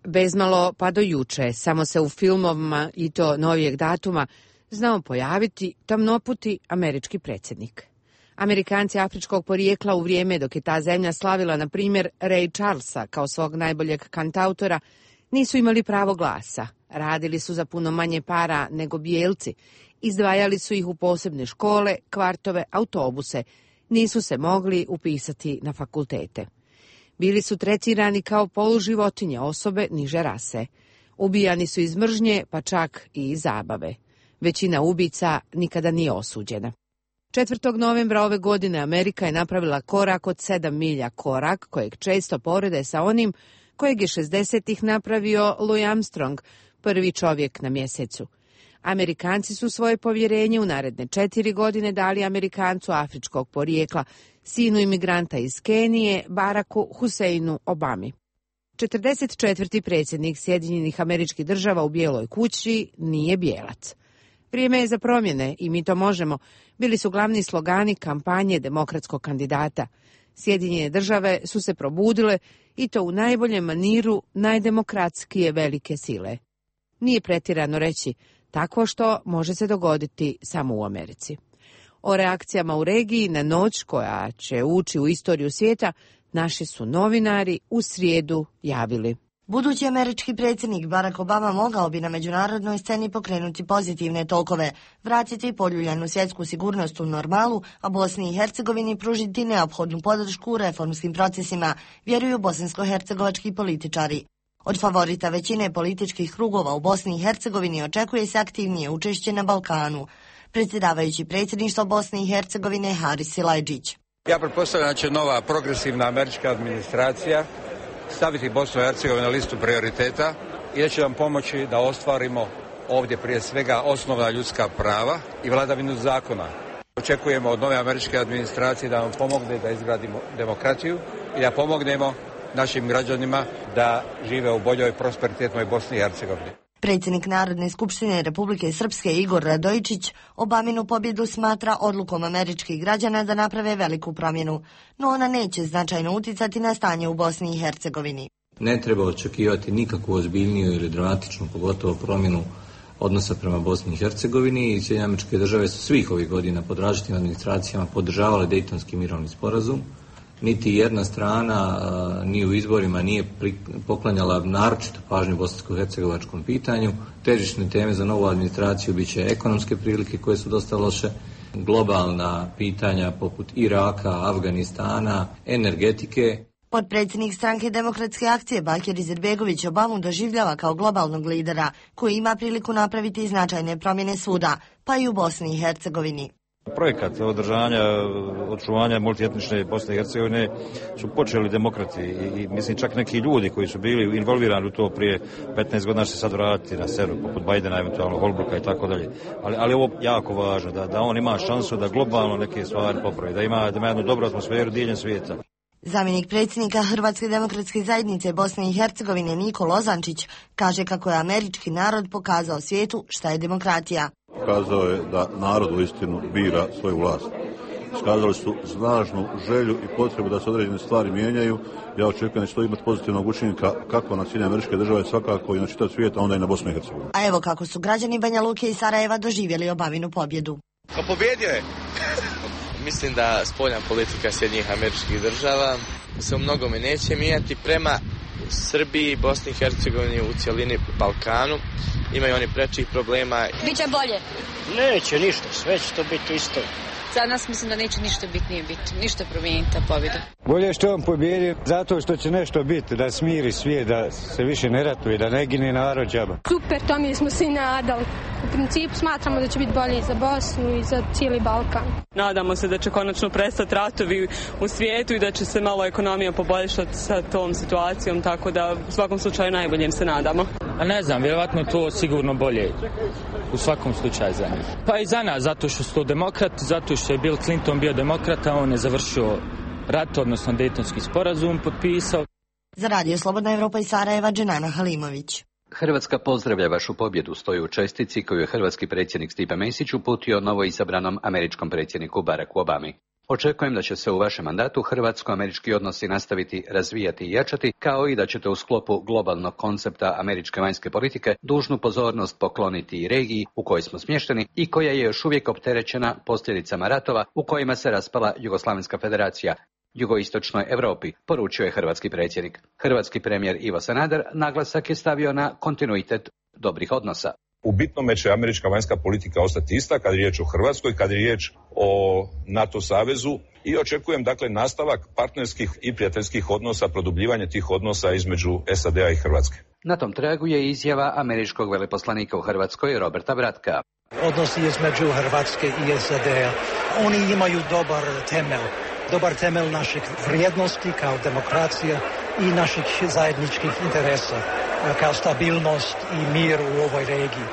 Bezmalo pa do juče, samo se u filmovima i to novijeg datuma znao pojaviti tamnoputi američki predsjednik. Amerikanci afričkog porijekla u vrijeme dok je ta zemlja slavila, na primjer, Ray Charlesa kao svog najboljeg kantautora, nisu imali pravo glasa, radili su za puno manje para nego bijelci, izdvajali su ih u posebne škole, kvartove, autobuse, nisu se mogli upisati na fakultete. Bili su tretirani kao poluživotinje, osobe niže rase. Ubijani su iz mržnje, pa čak i iz zabave. Većina ubica nikada nije osuđena. četvrtog novembra ove godine Amerika je napravila korak od sedam milja, korak kojeg često porede sa onim kojeg je šezdesetih napravio Louis Armstrong, prvi čovjek na mjesecu. Amerikanci su svoje povjerenje u naredne četiri godine dali Amerikancu afričkog porijekla, sinu imigranta iz Kenije, Baracku Huseinu Obami. četrdeset četvrti predsjednik Sjedinjenih Američkih Država u Bijeloj kući nije bijelac. Vrijeme je za promjene i mi to možemo, bili su glavni slogani kampanje demokratskog kandidata. Sjedinjene države su se probudile i to u najboljem maniru najdemokratskije velike sile. Nije pretjerano reći, tako što može se dogoditi samo u Americi. O reakcijama u regiji na noć koja će ući u istoriju svijeta, naši su novinari u srijedu javili. Budući američki predsjednik Barack Obama mogao bi na međunarodnoj sceni pokrenuti pozitivne tokove, vratiti poljuljanu svjetsku sigurnost u normalu, a Bosni i Hercegovini pružiti neophodnu podršku u reformskim procesima, vjeruju bosansko-hercegovački političari. Od favorita većine političkih krugova u Bosni i Hercegovini očekuje se aktivnije učešće na Balkanu. Predsjedavajući predsjedništvo Bosne i Hercegovine Haris Silajdžić. Ja pretpostavljam da će nova progresivna američka administracija staviti Bosnu i Hercegovinu na listu prioriteta i da će nam pomoći da ostvarimo ovdje prije svega osnovna ljudska prava i vladavinu zakona. Očekujemo od nove američke administracije da nam pomogne da izgradimo demokratiju i da pomognemo našim građanima da žive u boljoj prosperitetnoj Bosni i Hercegovini. Predsjednik Narodne skupštine Republike Srpske Igor Radojičić Obaminu pobjedu smatra odlukom američkih građana da naprave veliku promjenu, no ona neće značajno uticati na stanje u Bosni i Hercegovini. Ne treba očekivati nikakvu ozbiljniju ili dramatičnu, pogotovo promjenu odnosa prema Bosni i Hercegovini i Sjedinjene Američke Države su svih ovih godina pod različitim administracijama podržavale Dejtonski mirovni sporazum. Niti jedna strana ni u izborima nije poklanjala naročitu pažnju bosansko-hercegovačkom pitanju. Težišne teme za novu administraciju bit će ekonomske prilike koje su dosta loše, globalna pitanja poput Iraka, Afganistana, energetike. Potpredsjednik stranke Demokratske akcije Bakir Izetbegović Obamu doživljava kao globalnog lidera koji ima priliku napraviti značajne promjene svuda, pa i u Bosni i Hercegovini. Projekat održanja, očuvanja multietnične Bosne i Hercegovine su počeli demokrati i, i mislim čak neki ljudi koji su bili involvirani u to prije petnaest godina će se sad vratiti na seru, poput Bajdena, eventualno Holbrooka i tako dalje. Ali, ali ovo jako važno, da, da on ima šansu da globalno neke stvari popravi, da ima, da ima jednu dobru atmosferu diljem svijeta. Zamjenik predsjednika Hrvatske demokratske zajednice Bosne i Hercegovine Niko Lozančić kaže kako je američki narod pokazao svijetu šta je demokratija. Pokazao je da narod uistinu bira svoju vlast. Iskazali su snažnu želju i potrebu da se određene stvari mijenjaju. Ja očekujem da će to imati pozitivnog učinka kako na Sjedinjene Američke Države, svakako i na čitav svijet, a onda i na Bosnu i Hercegovinu. A evo kako su građani Banja Luke i Sarajeva doživjeli Obaminu pobjedu. Pa pobjedio je! Mislim da spoljna politika Sjedinjenih Američkih Država se u mnogome neće mijenjati prema Srbiji, Bosni i Hercegovini, u cjelini Balkanu. Imaju oni prečih problema. Biće bolje? Neće ništa, sve će to biti isto. Za nas mislim da neće ništa bitnije biti, ništa promijeniti ta pobjeda. Bolje što on pobjedi zato što će nešto biti, da smiri svijet, da se više ne ratuje, da ne gine narod džaba. Super, to mi smo svi nadali. U principu smatramo da će biti bolje i za Bosnu i za cijeli Balkan. Nadamo se da će konačno prestati ratovi u svijetu i da će se malo ekonomija poboljšati sa tom situacijom, tako da u svakom slučaju najboljem se nadamo. A ne znam, vjerovatno to sigurno bolje u svakom slučaju za njih. Pa i za nas, zato što su to demokrati, zato što je Bill Clinton bio demokrata, on je završio rat, odnosno Dejtonski sporazum potpisao. Za Radio Slobodna Evropa i Sarajeva, Dženana Halimović. Hrvatska pozdravlja vašu pobjedu, stoji u čestitci koju je hrvatski predsjednik Stipe Mesić uputio novoizabranom američkom predsjedniku Baracku Obami. Očekujem da će se u vašem mandatu hrvatsko-američki odnosi nastaviti razvijati i jačati, kao i da ćete u sklopu globalnog koncepta američke vanjske politike dužnu pozornost pokloniti i regiji u kojoj smo smješteni i koja je još uvijek opterećena posljedicama ratova u kojima se raspala Jugoslavenska federacija, jugoistočnoj Europi, poručio je hrvatski predsjednik. Hrvatski premijer Ivo Sanader naglasak je stavio na kontinuitet dobrih odnosa. U bitnome će američka vanjska politika ostati ista kad je riječ o Hrvatskoj, kad je riječ o NATO savezu i očekujem dakle nastavak partnerskih i prijateljskih odnosa, produbljivanje tih odnosa između S A D-a i Hrvatske. Na tom tragu je izjava američkog veleposlanika u Hrvatskoj Roberta Bratka. Odnosi između Hrvatske i S A D-a, oni imaju dobar temelj. Dobar temelj naših vrijednosti kao demokracija i naših zajedničkih interesa kao stabilnost i mir u ovoj regiji.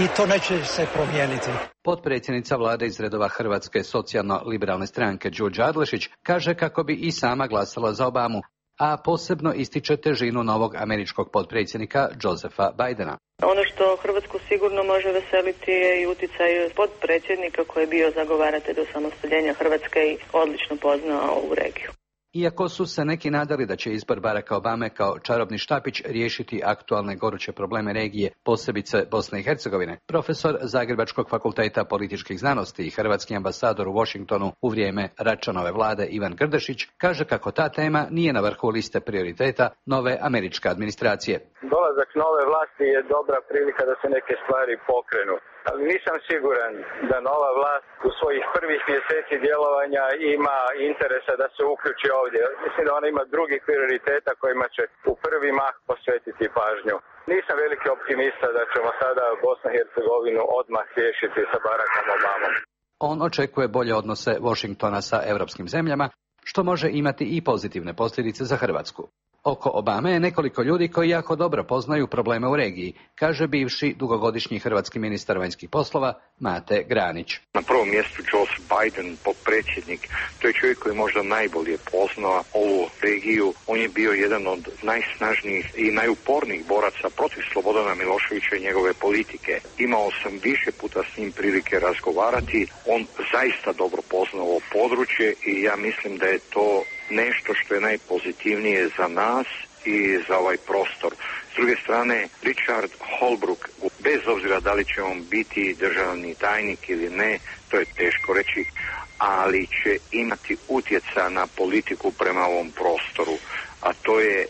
I to neće se promijeniti. Potpredsjednica vlade iz redova Hrvatske socijalno-liberalne stranke Đurđa Adlešić kaže kako bi i sama glasala za Obamu, a posebno ističe težinu novog američkog potpredsjednika Josepha Bidena. Ono što Hrvatsku sigurno može veseliti je i uticaj potpredsjednika koji je bio zagovaratelj osamostaljenja Hrvatske i odlično poznao ovu regiju. Iako su se neki nadali da će izbor Baracka Obame kao čarobni štapić riješiti aktualne goruće probleme regije, posebice Bosne i Hercegovine, profesor Zagrebačkog fakulteta političkih znanosti i hrvatski ambasador u Washingtonu u vrijeme Račanove vlade Ivan Grdešić kaže kako ta tema nije na vrhu liste prioriteta nove američke administracije. Dolazak nove vlasti je dobra prilika da se neke stvari pokrenu. Ali nisam siguran da nova vlast u svojih prvih mjeseci djelovanja ima interesa da se uključi ovdje. Mislim da ona ima drugih prioriteta kojima će u prvi mah posvetiti pažnju. Nisam veliki optimista da ćemo sada Bosnu i Hercegovinu odmah riješiti sa Barackom Obamom. On očekuje bolje odnose Washingtona sa europskim zemljama, što može imati i pozitivne posljedice za Hrvatsku. Oko Obame je nekoliko ljudi koji jako dobro poznaju probleme u regiji, kaže bivši dugogodišnji hrvatski ministar vanjskih poslova Mate Granić. Na prvom mjestu Joseph Biden, potpredsjednik, to je čovjek koji možda najbolje poznao ovu regiju. On je bio jedan od najsnažnijih i najupornijih boraca protiv Slobodana Miloševića i njegove politike. Imao sam više puta s njim prilike razgovarati. On zaista dobro poznao ovo područje i ja mislim da je to nešto što je najpozitivnije za nas i za ovaj prostor. S druge strane, Richard Holbrooke, bez obzira da li će on biti državni tajnik ili ne, to je teško reći, ali će imati utjecaja na politiku prema ovom prostoru, a to je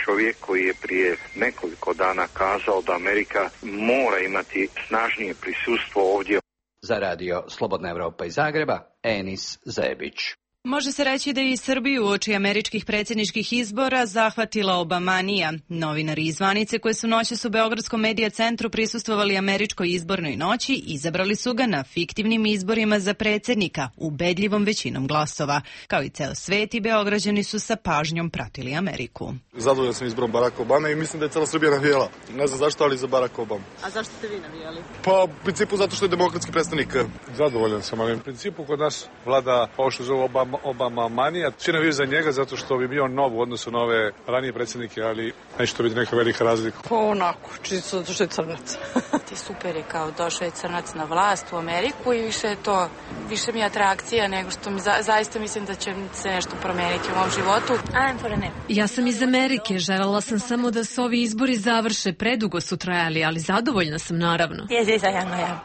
čovjek koji je prije nekoliko dana kazao da Amerika mora imati snažnije prisustvo ovdje. Za radio Slobodna Evropa iz Zagreba, Enis Zebić. Može se reći da je i Srbiju uoči američkih predsjedničkih izbora zahvatila Obamanija. Novinari iz zvanice koji su noćas u Beogradskom medija centru prisustvovali američkoj izbornoj noći izabrali su ga na fiktivnim izborima za predsjednika, ubedljivom većinom glasova. Kao i ceo svet i Beograđani su sa pažnjom pratili Ameriku. Zadovoljan sam izborom Baracka Obame i mislim da je cela Srbija navijala. Ne znam zašto, ali za Baracka Obama. A zašto ste vi navijali? Pa u principu zato što je demokratski predstavnik. Zadovoljan sam, ali u principu kod nas vlada ovo što zove Obama Obama manija. Svi navijaju za njega zato što bi bio nov u odnosu na ove ranije predsjednike, ali neće to biti neka velika razlika. Pa onako, čisto zato što je crnac. Ti super je kao došao je crnac na vlast u Ameriku i više je to, više mi je atrakcija nego što mi za, zaista mislim da će se nešto promeniti u mom životu. I'm for a nap. Ja sam iz Amerike, želela sam samo da se ovi izbori završe, predugo su trajali, ali zadovoljna sam naravno.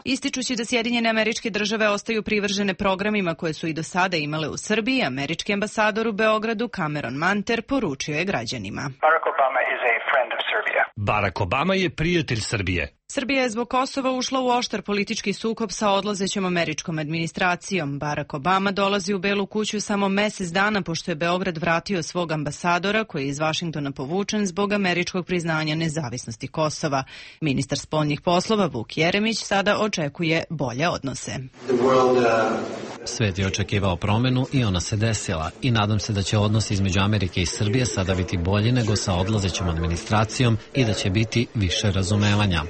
Ističući da Sjedinjene Američke Države ostaju privržene programima koje su i do sada imale u Srbiji, američki ambasador u Beogradu Cameron Manter poručio je građanima. Barack Obama is a friend of Serbia. Barack Obama je prijatelj Srbije. Srbija je zbog Kosova ušla u oštar politički sukob sa odlazećom američkom administracijom. Barack Obama dolazi u Belu kuću samo mjesec dana pošto je Beograd vratio svog ambasadora koji je iz Vašingtona povučen zbog američkog priznanja nezavisnosti Kosova. Ministar spoljnih poslova Vuk Jeremić sada očekuje bolje odnose. Svet je očekivao promjenu i ona se desila i nadam se da će odnosi između Amerike i Srbije sada biti bolji nego sa odlazećom administracijom i da će biti više razumevanja.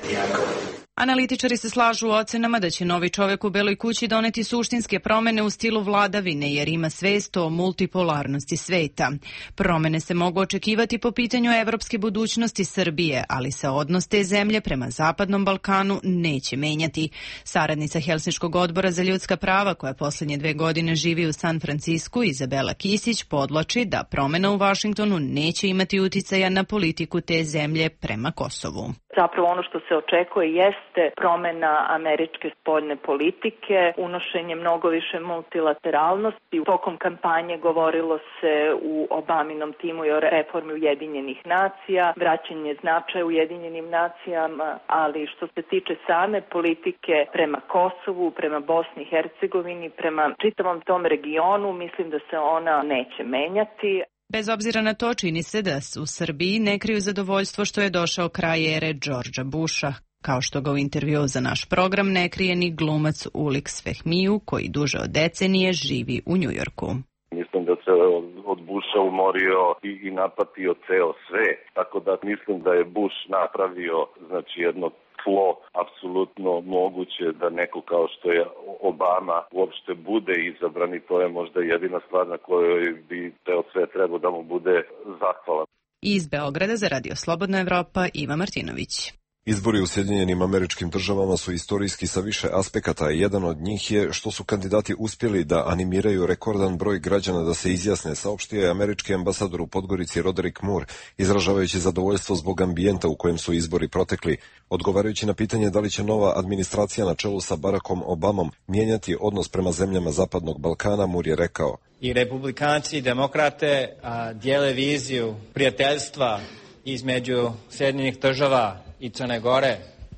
Analitičari se slažu u ocenama da će novi čovjek u Beloj kući doneti suštinske promjene u stilu vladavine jer ima svest o multipolarnosti sveta. Promjene se mogu očekivati po pitanju evropske budućnosti Srbije, ali se odnos te zemlje prema Zapadnom Balkanu neće menjati. Saradnica Helsinškog odbora za ljudska prava koja posljednje dve godine živi u San Francisku, Izabela Kisić, podvlači da promjena u Vašingtonu neće imati uticaja na politiku te zemlje prema Kosovu. Zapravo ono što se očekuje jeste promjena američke spoljne politike, unošenje mnogo više multilateralnosti. Tokom kampanje govorilo se u Obaminom timu i o reformi Ujedinjenih nacija, vraćanje značaja Ujedinjenim nacijama, ali što se tiče same politike prema Kosovu, prema Bosni i Hercegovini, prema čitavom tom regionu, mislim da se ona neće menjati. Bez obzira na to, čini se da u Srbiji ne kriju zadovoljstvo što je došao kraj ere Georgea Busha, kao što ga u intervjuu za naš program ne krije ni glumac Ulix Fehmiju, koji duže od decenije živi u Njujorku. Mislim da se od Busha umorio i, i napatio ceo sve, tako da mislim da je Bush napravio znači jedno tlo apsolutno moguće da neko kao što je Obama uopšte bude izabran i to je možda jedina stvar na kojoj bi ceo sve trebao da mu bude zahvalan. Iz Beograda za Radio Slobodna Evropa Iva Martinović. Izbori u Sjedinjenim Američkim Državama su istorijski sa više aspekata i jedan od njih je što su kandidati uspjeli da animiraju rekordan broj građana da se izjasne, saopštio je američki ambasador u Podgorici Roderick Moore, izražavajući zadovoljstvo zbog ambijenta u kojem su izbori protekli. Odgovarajući na pitanje da li će nova administracija na čelu sa Barackom Obamom mijenjati odnos prema zemljama Zapadnog Balkana, Moore je rekao: I republikanci i demokrate a, dijele viziju prijateljstva između Sjedinjenih Država i Crne Gore,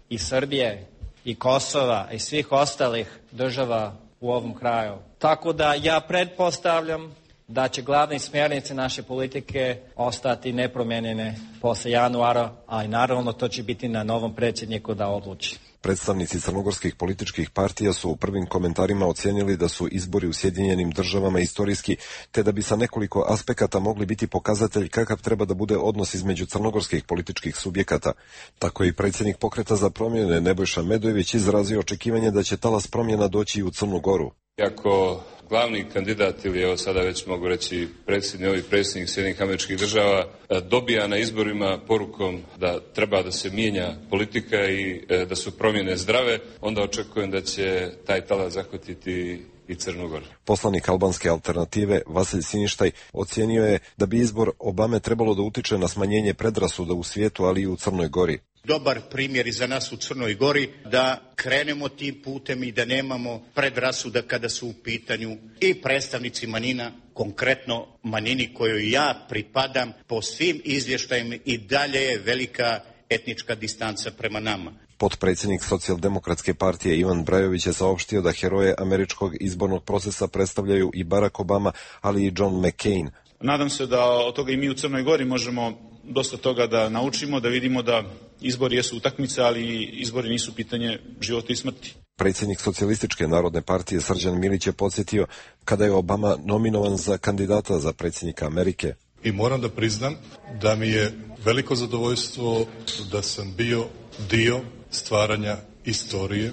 i Srbije, i Kosova, i svih ostalih država u ovom kraju. Tako da ja pretpostavljam da će glavne smjernice naše politike ostati nepromijenjene posle januara, a i naravno to će biti na novom predsjedniku da odluči. Predstavnici crnogorskih političkih partija su u prvim komentarima ocijenili da su izbori u Sjedinjenim Državama istorijski, te da bi sa nekoliko aspekata mogli biti pokazatelj kakav treba da bude odnos između crnogorskih političkih subjekata. Tako je i predsjednik Pokreta za promjene Nebojša Medojević izrazio očekivanje da će talas promjena doći i u Crnu Goru. Iako glavni kandidat ili evo sada već mogu reći predsjednik, novi predsjednik Sjedinjenih Američkih Država dobija na izborima porukom da treba da se mijenja politika i da su promjene zdrave, onda očekujem da će taj talas zahvatiti i Crnu Goru. Poslanik albanske alternative Vasilj Siništaj ocijenio je da bi izbor Obame trebalo da utiče na smanjenje predrasuda u svijetu, ali i u Crnoj Gori. Dobar primjer i za nas u Crnoj Gori da krenemo tim putem i da nemamo predrasuda kada su u pitanju i predstavnici manjina, konkretno manjini kojoj ja pripadam. Po svim izvještajima i dalje je velika etnička distanca prema nama. Potpredsjednik Socijaldemokratske partije Ivan Brajović je saopštio da heroje američkog izbornog procesa predstavljaju i Barack Obama, ali i John McCain. Nadam se da od toga i mi u Crnoj Gori možemo dosta toga da naučimo, da vidimo da izbori jesu utakmice, ali izbori nisu pitanje života i smrti. Predsjednik Socijalističke narodne partije Srđan Milić je podsjetio kada je Obama nominovan za kandidata za predsjednika Amerike. I moram da priznam da mi je veliko zadovoljstvo da sam bio dio stvaranja istorije,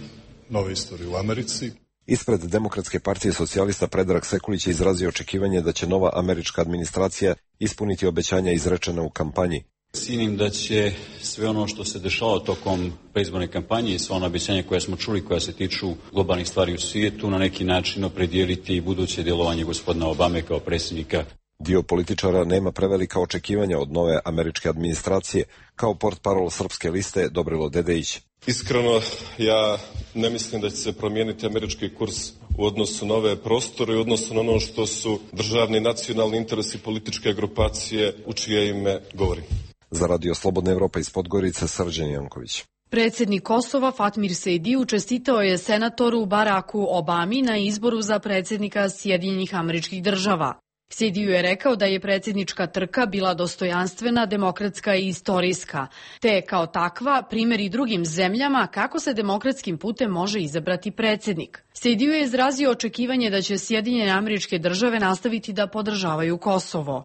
nove istorije u Americi. Ispred Demokratske partije socijalista Predrag Sekulić je izrazio očekivanje da će nova američka administracija ispuniti obećanja izrečena u kampanji. Cijenim da će sve ono što se dešava tokom predizborne kampanje i sva ona obećanja koja smo čuli koja se tiču globalnih stvari u svijetu na neki način opredijeliti buduće djelovanje gospodina Obame kao predsjednika. Dio političara nema prevelika očekivanja od nove američke administracije, kao portparol Srpske liste Dobrilo Dedejić. Iskreno, ja ne mislim da će se promijeniti američki kurs u odnosu na ove prostore i u odnosu na ono što su državni nacionalni interesi političke grupacije u čije ime govorim. Za Radio Slobodna Evropa iz Podgorice, Srđan Janković. Predsjednik Kosova Fatmir Sejdiju čestitao je senatoru Baracku Obami na izboru za predsjednika Sjedinjenih Američkih Država. Sejdiju je rekao da je predsjednička trka bila dostojanstvena, demokratska i istorijska, te je kao takva primjer i drugim zemljama kako se demokratskim putem može izabrati predsjednik. Sejdiju je izrazio očekivanje da će Sjedinjene Američke Države nastaviti da podržavaju Kosovo.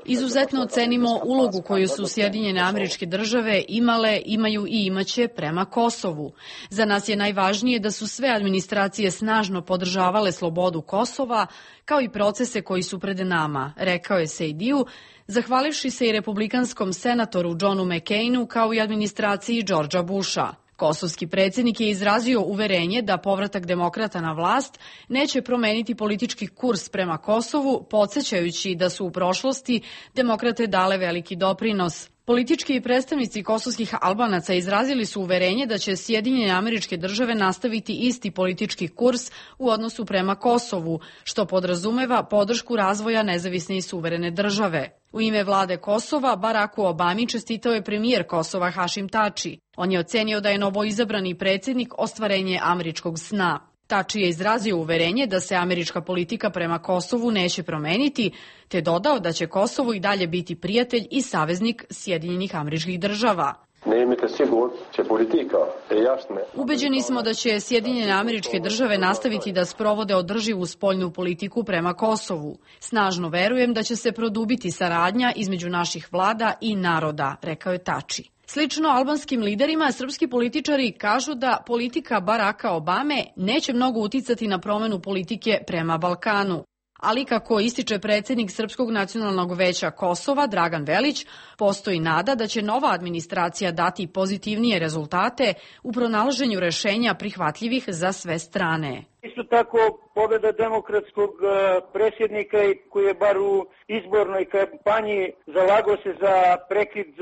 Izuzetno ocenimo ulogu koju su Sjedinjene Američke Države imale, imaju i imaće prema Kosovu. Za nas je najvažnije da su sve administracije snažno podržavale slobodu Kosova, kao i procese koji su pred nama, rekao je Sejdiju, zahvalivši se i republikanskom senatoru Johnu McCainu kao i administraciji Georgea Busha. Kosovski predsjednik je izrazio uverenje da povratak demokrata na vlast neće promeniti politički kurs prema Kosovu, podsjećajući da su u prošlosti demokrate dale veliki doprinos. Politički predstavnici kosovskih Albanaca izrazili su uverenje da će Sjedinjene Američke Države nastaviti isti politički kurs u odnosu prema Kosovu, što podrazumeva podršku razvoja nezavisne i suverene države. U ime vlade Kosova, Baracku Obami čestitao je premijer Kosova Hašim Tači. On je ocenio da je novoizabrani predsjednik ostvarenje američkog sna. Tači je izrazio uverenje da se američka politika prema Kosovu neće promeniti, te dodao da će Kosovo i dalje biti prijatelj i saveznik Sjedinjenih Američkih Država. Ubeđeni smo da će Sjedinjene Američke Države nastaviti da sprovode održivu spoljnu politiku prema Kosovu. Snažno verujem da će se produbiti saradnja između naših vlada i naroda, rekao je Tači. Slično albanskim liderima, srpski političari kažu da politika Baracka Obame neće mnogo uticati na promjenu politike prema Balkanu. Ali kako ističe predsjednik Srpskog nacionalnog veća Kosova, Dragan Velić, postoji nada da će nova administracija dati pozitivnije rezultate u pronalaženju rešenja prihvatljivih za sve strane. Isto tako, pobjeda demokratskog predsjednika koji je bar u izbornoj kampanji zalagao se za prekid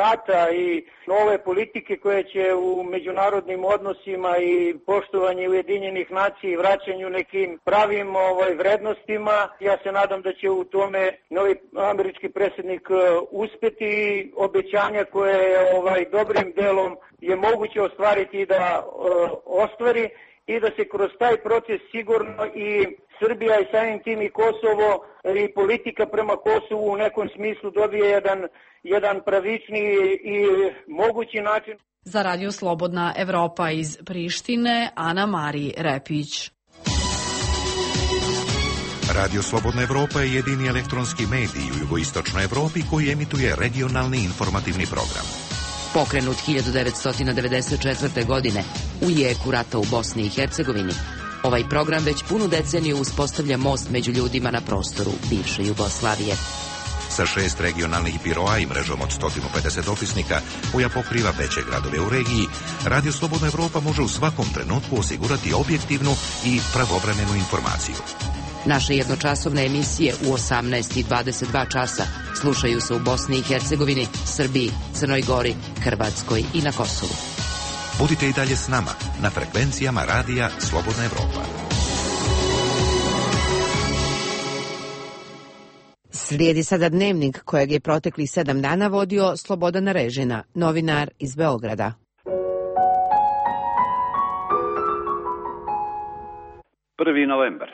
rata i nove politike koje će u međunarodnim odnosima i poštovanju Ujedinjenih nacija i vraćanju nekim pravim ovaj, vrednostima. Ja se nadam da će u tome novi američki predsjednik uspjeti i obećanja koje ovaj, dobrim delom je moguće ostvariti i da uh, ostvari i da se kroz taj proces sigurno i Srbija i samim tim i Kosovo i politika prema Kosovu u nekom smislu dobije jedan, jedan pravičniji i mogući način. Za Radio Slobodna Evropa iz Prištine, Ana Mari Repić. Radio Slobodna Evropa je jedini elektronski medij u jugoistočnoj Evropi koji emituje regionalni informativni program. Pokrenut hiljadu devetsto devedeset četvrte. godine u jeku rata u Bosni i Hercegovini, ovaj program već punu deceniju uspostavlja most među ljudima na prostoru bivše Jugoslavije. sa šest regionalnih biroa i mrežom od sto pedeset opisnika koja pokriva veće gradove u regiji, Radio Slobodna Evropa može u svakom trenutku osigurati objektivnu i pravovremenu informaciju. Naše jednočasovne emisije u osamnaest i dvadeset dva časa slušaju se u Bosni i Hercegovini, Srbiji, Crnoj Gori, Hrvatskoj i na Kosovu. Budite i dalje s nama na frekvencijama Radija Slobodna Evropa. Slijedi sada dnevnik kojeg je proteklih sedam dana vodio Slobodan Režina, novinar iz Beograda. prvi novembar.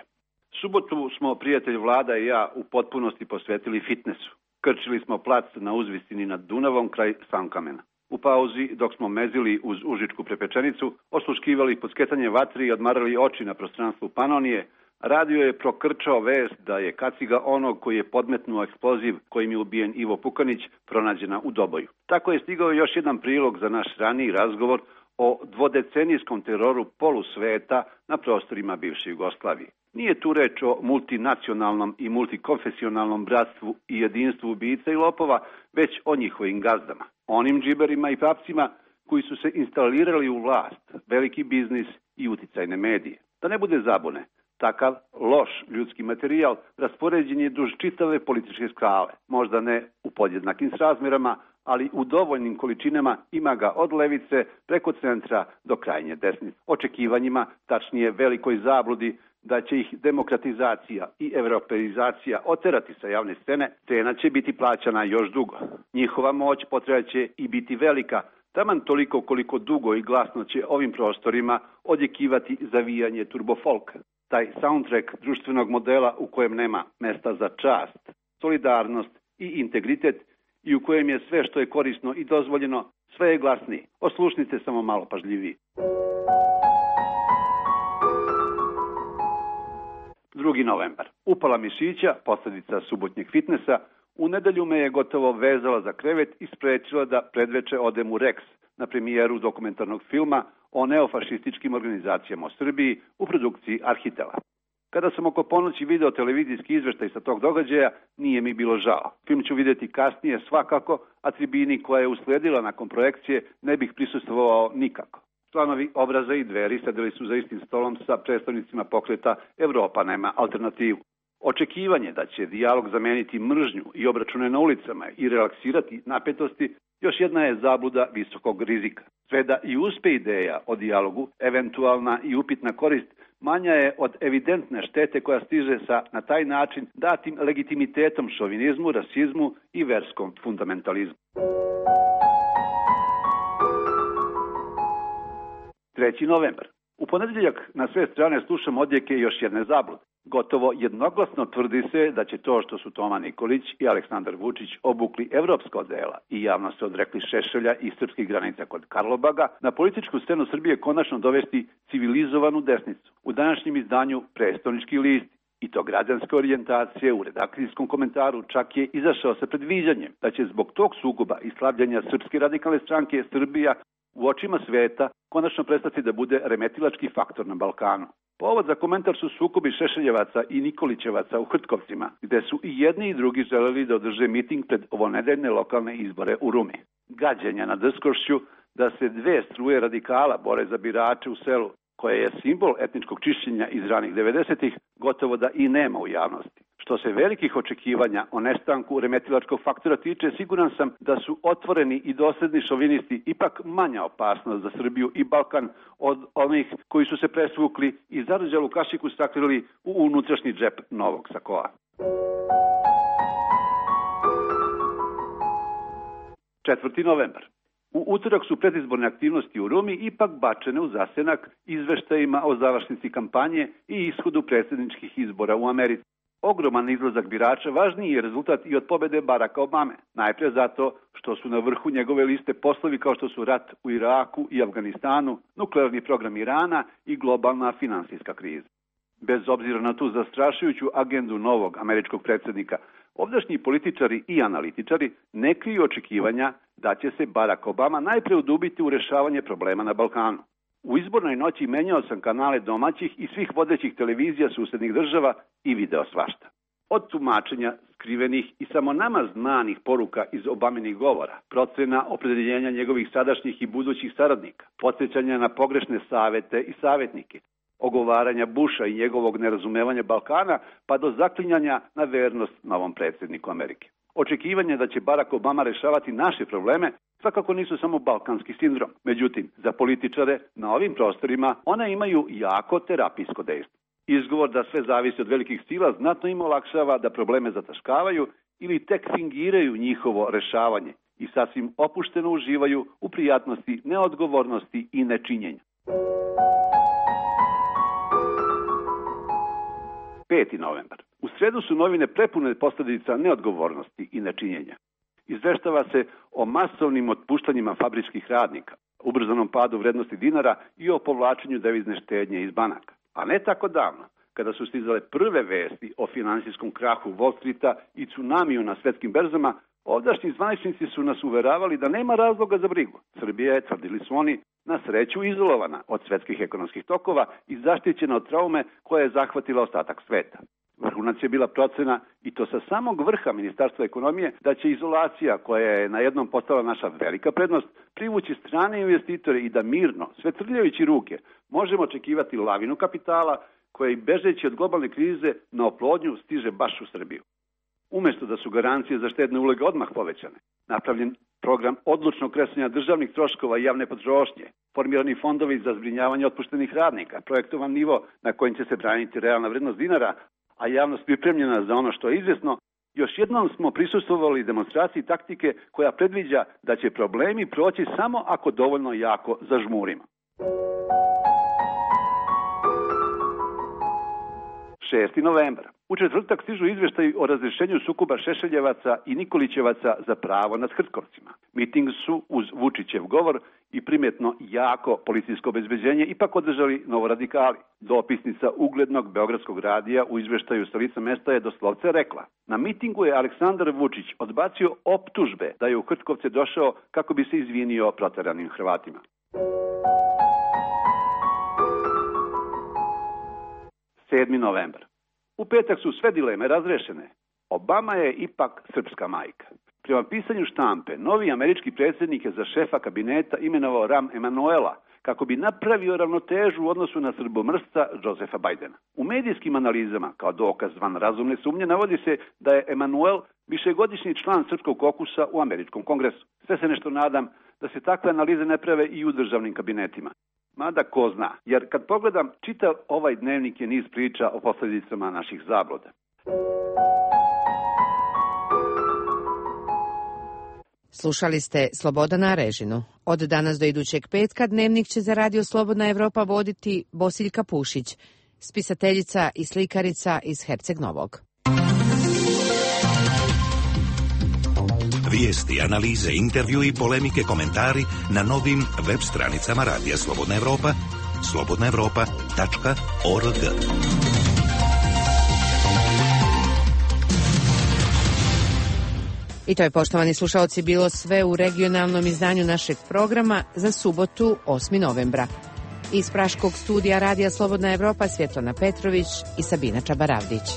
Subotu smo prijatelj Vlada i ja u potpunosti posvetili fitnesu. Krčili smo plac na uzvisini nad Dunavom kraj Sankamena. U pauzi, dok smo mezili uz užičku prepečenicu, osluškivali podsketanje vatri i odmarali oči na prostranstvu Panonije, radio je prokrčao vest da je kaciga onog koji je podmetnuo eksploziv kojim je ubijen Ivo Pukanić pronađena u Doboju. Tako je stigao još jedan prilog za naš raniji razgovor o dvodecenijskom teroru polusveta na prostorima bivše Jugoslavije. Nije tu reč o multinacionalnom i multikonfesionalnom bratstvu i jedinstvu ubica i lopova, već o njihovim gazdama. Onim džiberima i papcima koji su se instalirali u vlast, veliki biznis i uticajne medije. Da ne bude zabune, takav loš ljudski materijal raspoređen je duž čitave političke skale. Možda ne u podjednakim srazmjerama, ali u dovoljnim količinama ima ga od levice preko centra do krajnje desnice. Očekivanjima, tačnije velikoj zabludi, da će ih demokratizacija i evropeizacija oterati sa javne scene, cena će biti plaćana još dugo. Njihova moć potrebaće i biti velika, taman toliko koliko dugo i glasno će ovim prostorima odjekivati zavijanje turbofolka. Taj soundtrack društvenog modela u kojem nema mesta za čast, solidarnost i integritet i u kojem je sve što je korisno i dozvoljeno, sve je glasniji. Oslušnite samo malo pažljiviji. drugi novembar. Upala mišića, posljedica subotnjeg fitnesa, u nedelju me je gotovo vezala za krevet i sprečila da predveče odem u Rex na premijeru dokumentarnog filma o neofašističkim organizacijama u Srbiji u produkciji Arhitela. Kada sam oko ponoći video televizijski izveštaj sa tog događaja, nije mi bilo žao. Film ću vidjeti kasnije svakako, a tribini koja je usledila nakon projekcije ne bih prisustvovao nikako. Članovi Obraza i Dveri sedeli su za istim stolom sa predstavnicima pokreta Evropa nema alternativu. Očekivanje da će dijalog zameniti mržnju i obračune na ulicama i relaksirati napetosti još jedna je zabluda visokog rizika. Sve da i uspe ideja o dijalogu, eventualna i upitna korist, manja je od evidentne štete koja stiže sa na taj način datim legitimitetom šovinizmu, rasizmu i verskom fundamentalizmu. treći novembar. U ponedeljak na sve strane slušam odjeke još jedne zablude. Gotovo jednoglasno tvrdi se da će to što su Toma Nikolić i Aleksandar Vučić obukli evropska odela i javno se odrekli Šešelja i srpskih granica kod Karlobaga, na političku scenu Srbije konačno dovesti civilizovanu desnicu. U današnjem izdanju Prestonički list i to građanske orijentacije u redakcijskom komentaru čak je izašao sa predviđanjem da će zbog tog sukoba i slabljenja Srpske radikalne stranke Srbija u očima sveta konačno prestati da bude remetilački faktor na Balkanu. Povod za komentar su sukobi Šešeljevaca i Nikolićevaca u Hrtkovcima, gde su i jedni i drugi želeli da održe miting pred ovonedeljne lokalne izbore u Rumi. Gađenja na drskošću da se dve struje radikala bore za birače u selu, koje je simbol etničkog čišćenja iz ranih devedesetih, gotovo da i nema u javnosti. Što se velikih očekivanja o nestanku remetilačkog faktora tiče, siguran sam da su otvoreni i dosledni šovinisti ipak manja opasnost za Srbiju i Balkan od onih koji su se presvukli i zarđalu kašiku sakrili u unutrašnji džep novog sakoa. četvrti novembar. U utorak su predizborne aktivnosti u Rumi ipak bačene u zasenak izveštajima o završnici kampanje i ishodu predsjedničkih izbora u Americi. Ogroman izlazak birača važniji je rezultat i od pobjede Baracka Obame. Najprije zato što su na vrhu njegove liste poslovi kao što su rat u Iraku i Afganistanu, nuklearni program Irana i globalna finansijska kriza. Bez obzira na tu zastrašujuću agendu novog američkog predsjednika, ovdašnji političari i analitičari ne kriju očekivanja da će se Barack Obama najprije udubiti u rješavanje problema na Balkanu. U izbornoj noći menjao sam kanale domaćih i svih vodećih televizija susednih država i video svašta. Od tumačenja skrivenih i samo nama znanih poruka iz Obaminih govora, procena opredeljenja njegovih sadašnjih i budućih saradnika, podsjećanja na pogrešne savete i savjetnike, ogovaranja Busha i njegovog nerazumevanja Balkana, pa do zaklinjanja na vernost novom predsjedniku Amerike. Očekivanje da će Barack Obama rešavati naše probleme svakako nisu samo balkanski sindrom. Međutim, za političare na ovim prostorima one imaju jako terapijsko dejstvo. Izgovor da sve zavisi od velikih sila znatno im olakšava da probleme zataškavaju ili tek fingiraju njihovo rešavanje i sasvim opušteno uživaju u prijatnosti, neodgovornosti i nečinjenja. peti novembar. U sredu su novine prepune posljedica neodgovornosti i nečinjenja. Izveštava se o masovnim otpuštanjima fabričkih radnika, ubrzanom padu vrednosti dinara i o povlačenju devizne štednje iz banaka. A ne tako davno, kada su stizale prve vesti o finansijskom krahu Wall Streeta i tsunamiju na svetskim berzama, ovdašnji zvaničnici su nas uveravali da nema razloga za brigu. Srbija je, tvrdili su oni, na sreću izolovana od svetskih ekonomskih tokova i zaštićena od traume koja je zahvatila ostatak sveta. Vrhunac je bila procena, i to sa samog vrha Ministarstva ekonomije, da će izolacija, koja je na jednom postala naša velika prednost, privući strane investitore i da mirno, sve trljajući ruke, možemo očekivati lavinu kapitala koja i bežeći od globalne krize na oplodnju stiže baš u Srbiju. Umjesto da su garancije za štedne uloge odmah povećane, napravljen program odlučnog kresanja državnih troškova i javne potrošnje, formirani fondovi za zbrinjavanje otpuštenih radnika, projektovan nivo na kojim će se braniti realna vrednost dinara, a javnost pripremljena za ono što je izvjesno, još jednom smo prisustvovali demonstraciji taktike koja predviđa da će problemi proći samo ako dovoljno jako zažmurimo. šesti novembar. U četvrtak stižu izveštaji o razrješenju sukoba Šešeljevaca i Nikolićevaca za pravo nad Hrtkovcima. Miting su uz Vučićev govor i primjetno jako policijsko obezbeđenje ipak održali novoradikali. Dopisnica uglednog beogradskog radija u izveštaju sa lica mesta je doslovce rekla: na mitingu je Aleksandar Vučić odbacio optužbe da je u Hrtkovce došao kako bi se izvinio proteranim Hrvatima. sedmi novembar. U petak su sve dileme razrešene. Obama je ipak srpska majka. Prema pisanju štampe, novi američki predsjednik je za šefa kabineta imenovao Rahm Emanuela kako bi napravio ravnotežu u odnosu na srbomrsca Josefa Bajdena. U medijskim analizama, kao dokaz van razumne sumnje, navodi se da je Emanuel višegodišnji član srpskog kokusa u američkom kongresu. Sve se nešto nadam da se takve analize ne prave i u državnim kabinetima. Mada ko zna, jer kad pogledam, čitav ovaj dnevnik je niz priča o posljedicama naših zabluda. Slušali ste Slobodana Arežinu. Od danas do idućeg petka dnevnik će za Radio Slobodna Evropa voditi Bosiljka Pušić, spisateljica i slikarica iz Herceg Novog. Vijesti, analize, intervju i polemike, komentari na novim web stranicama Radija Slobodna Evropa, slobodna evropa tačka org. I to je, poštovani slušaoci, bilo sve u regionalnom izdanju našeg programa za subotu osmi novembra. Iz Praškog studija Radija Slobodna Evropa Svjetlana Petrović i Sabina Čabaravdić.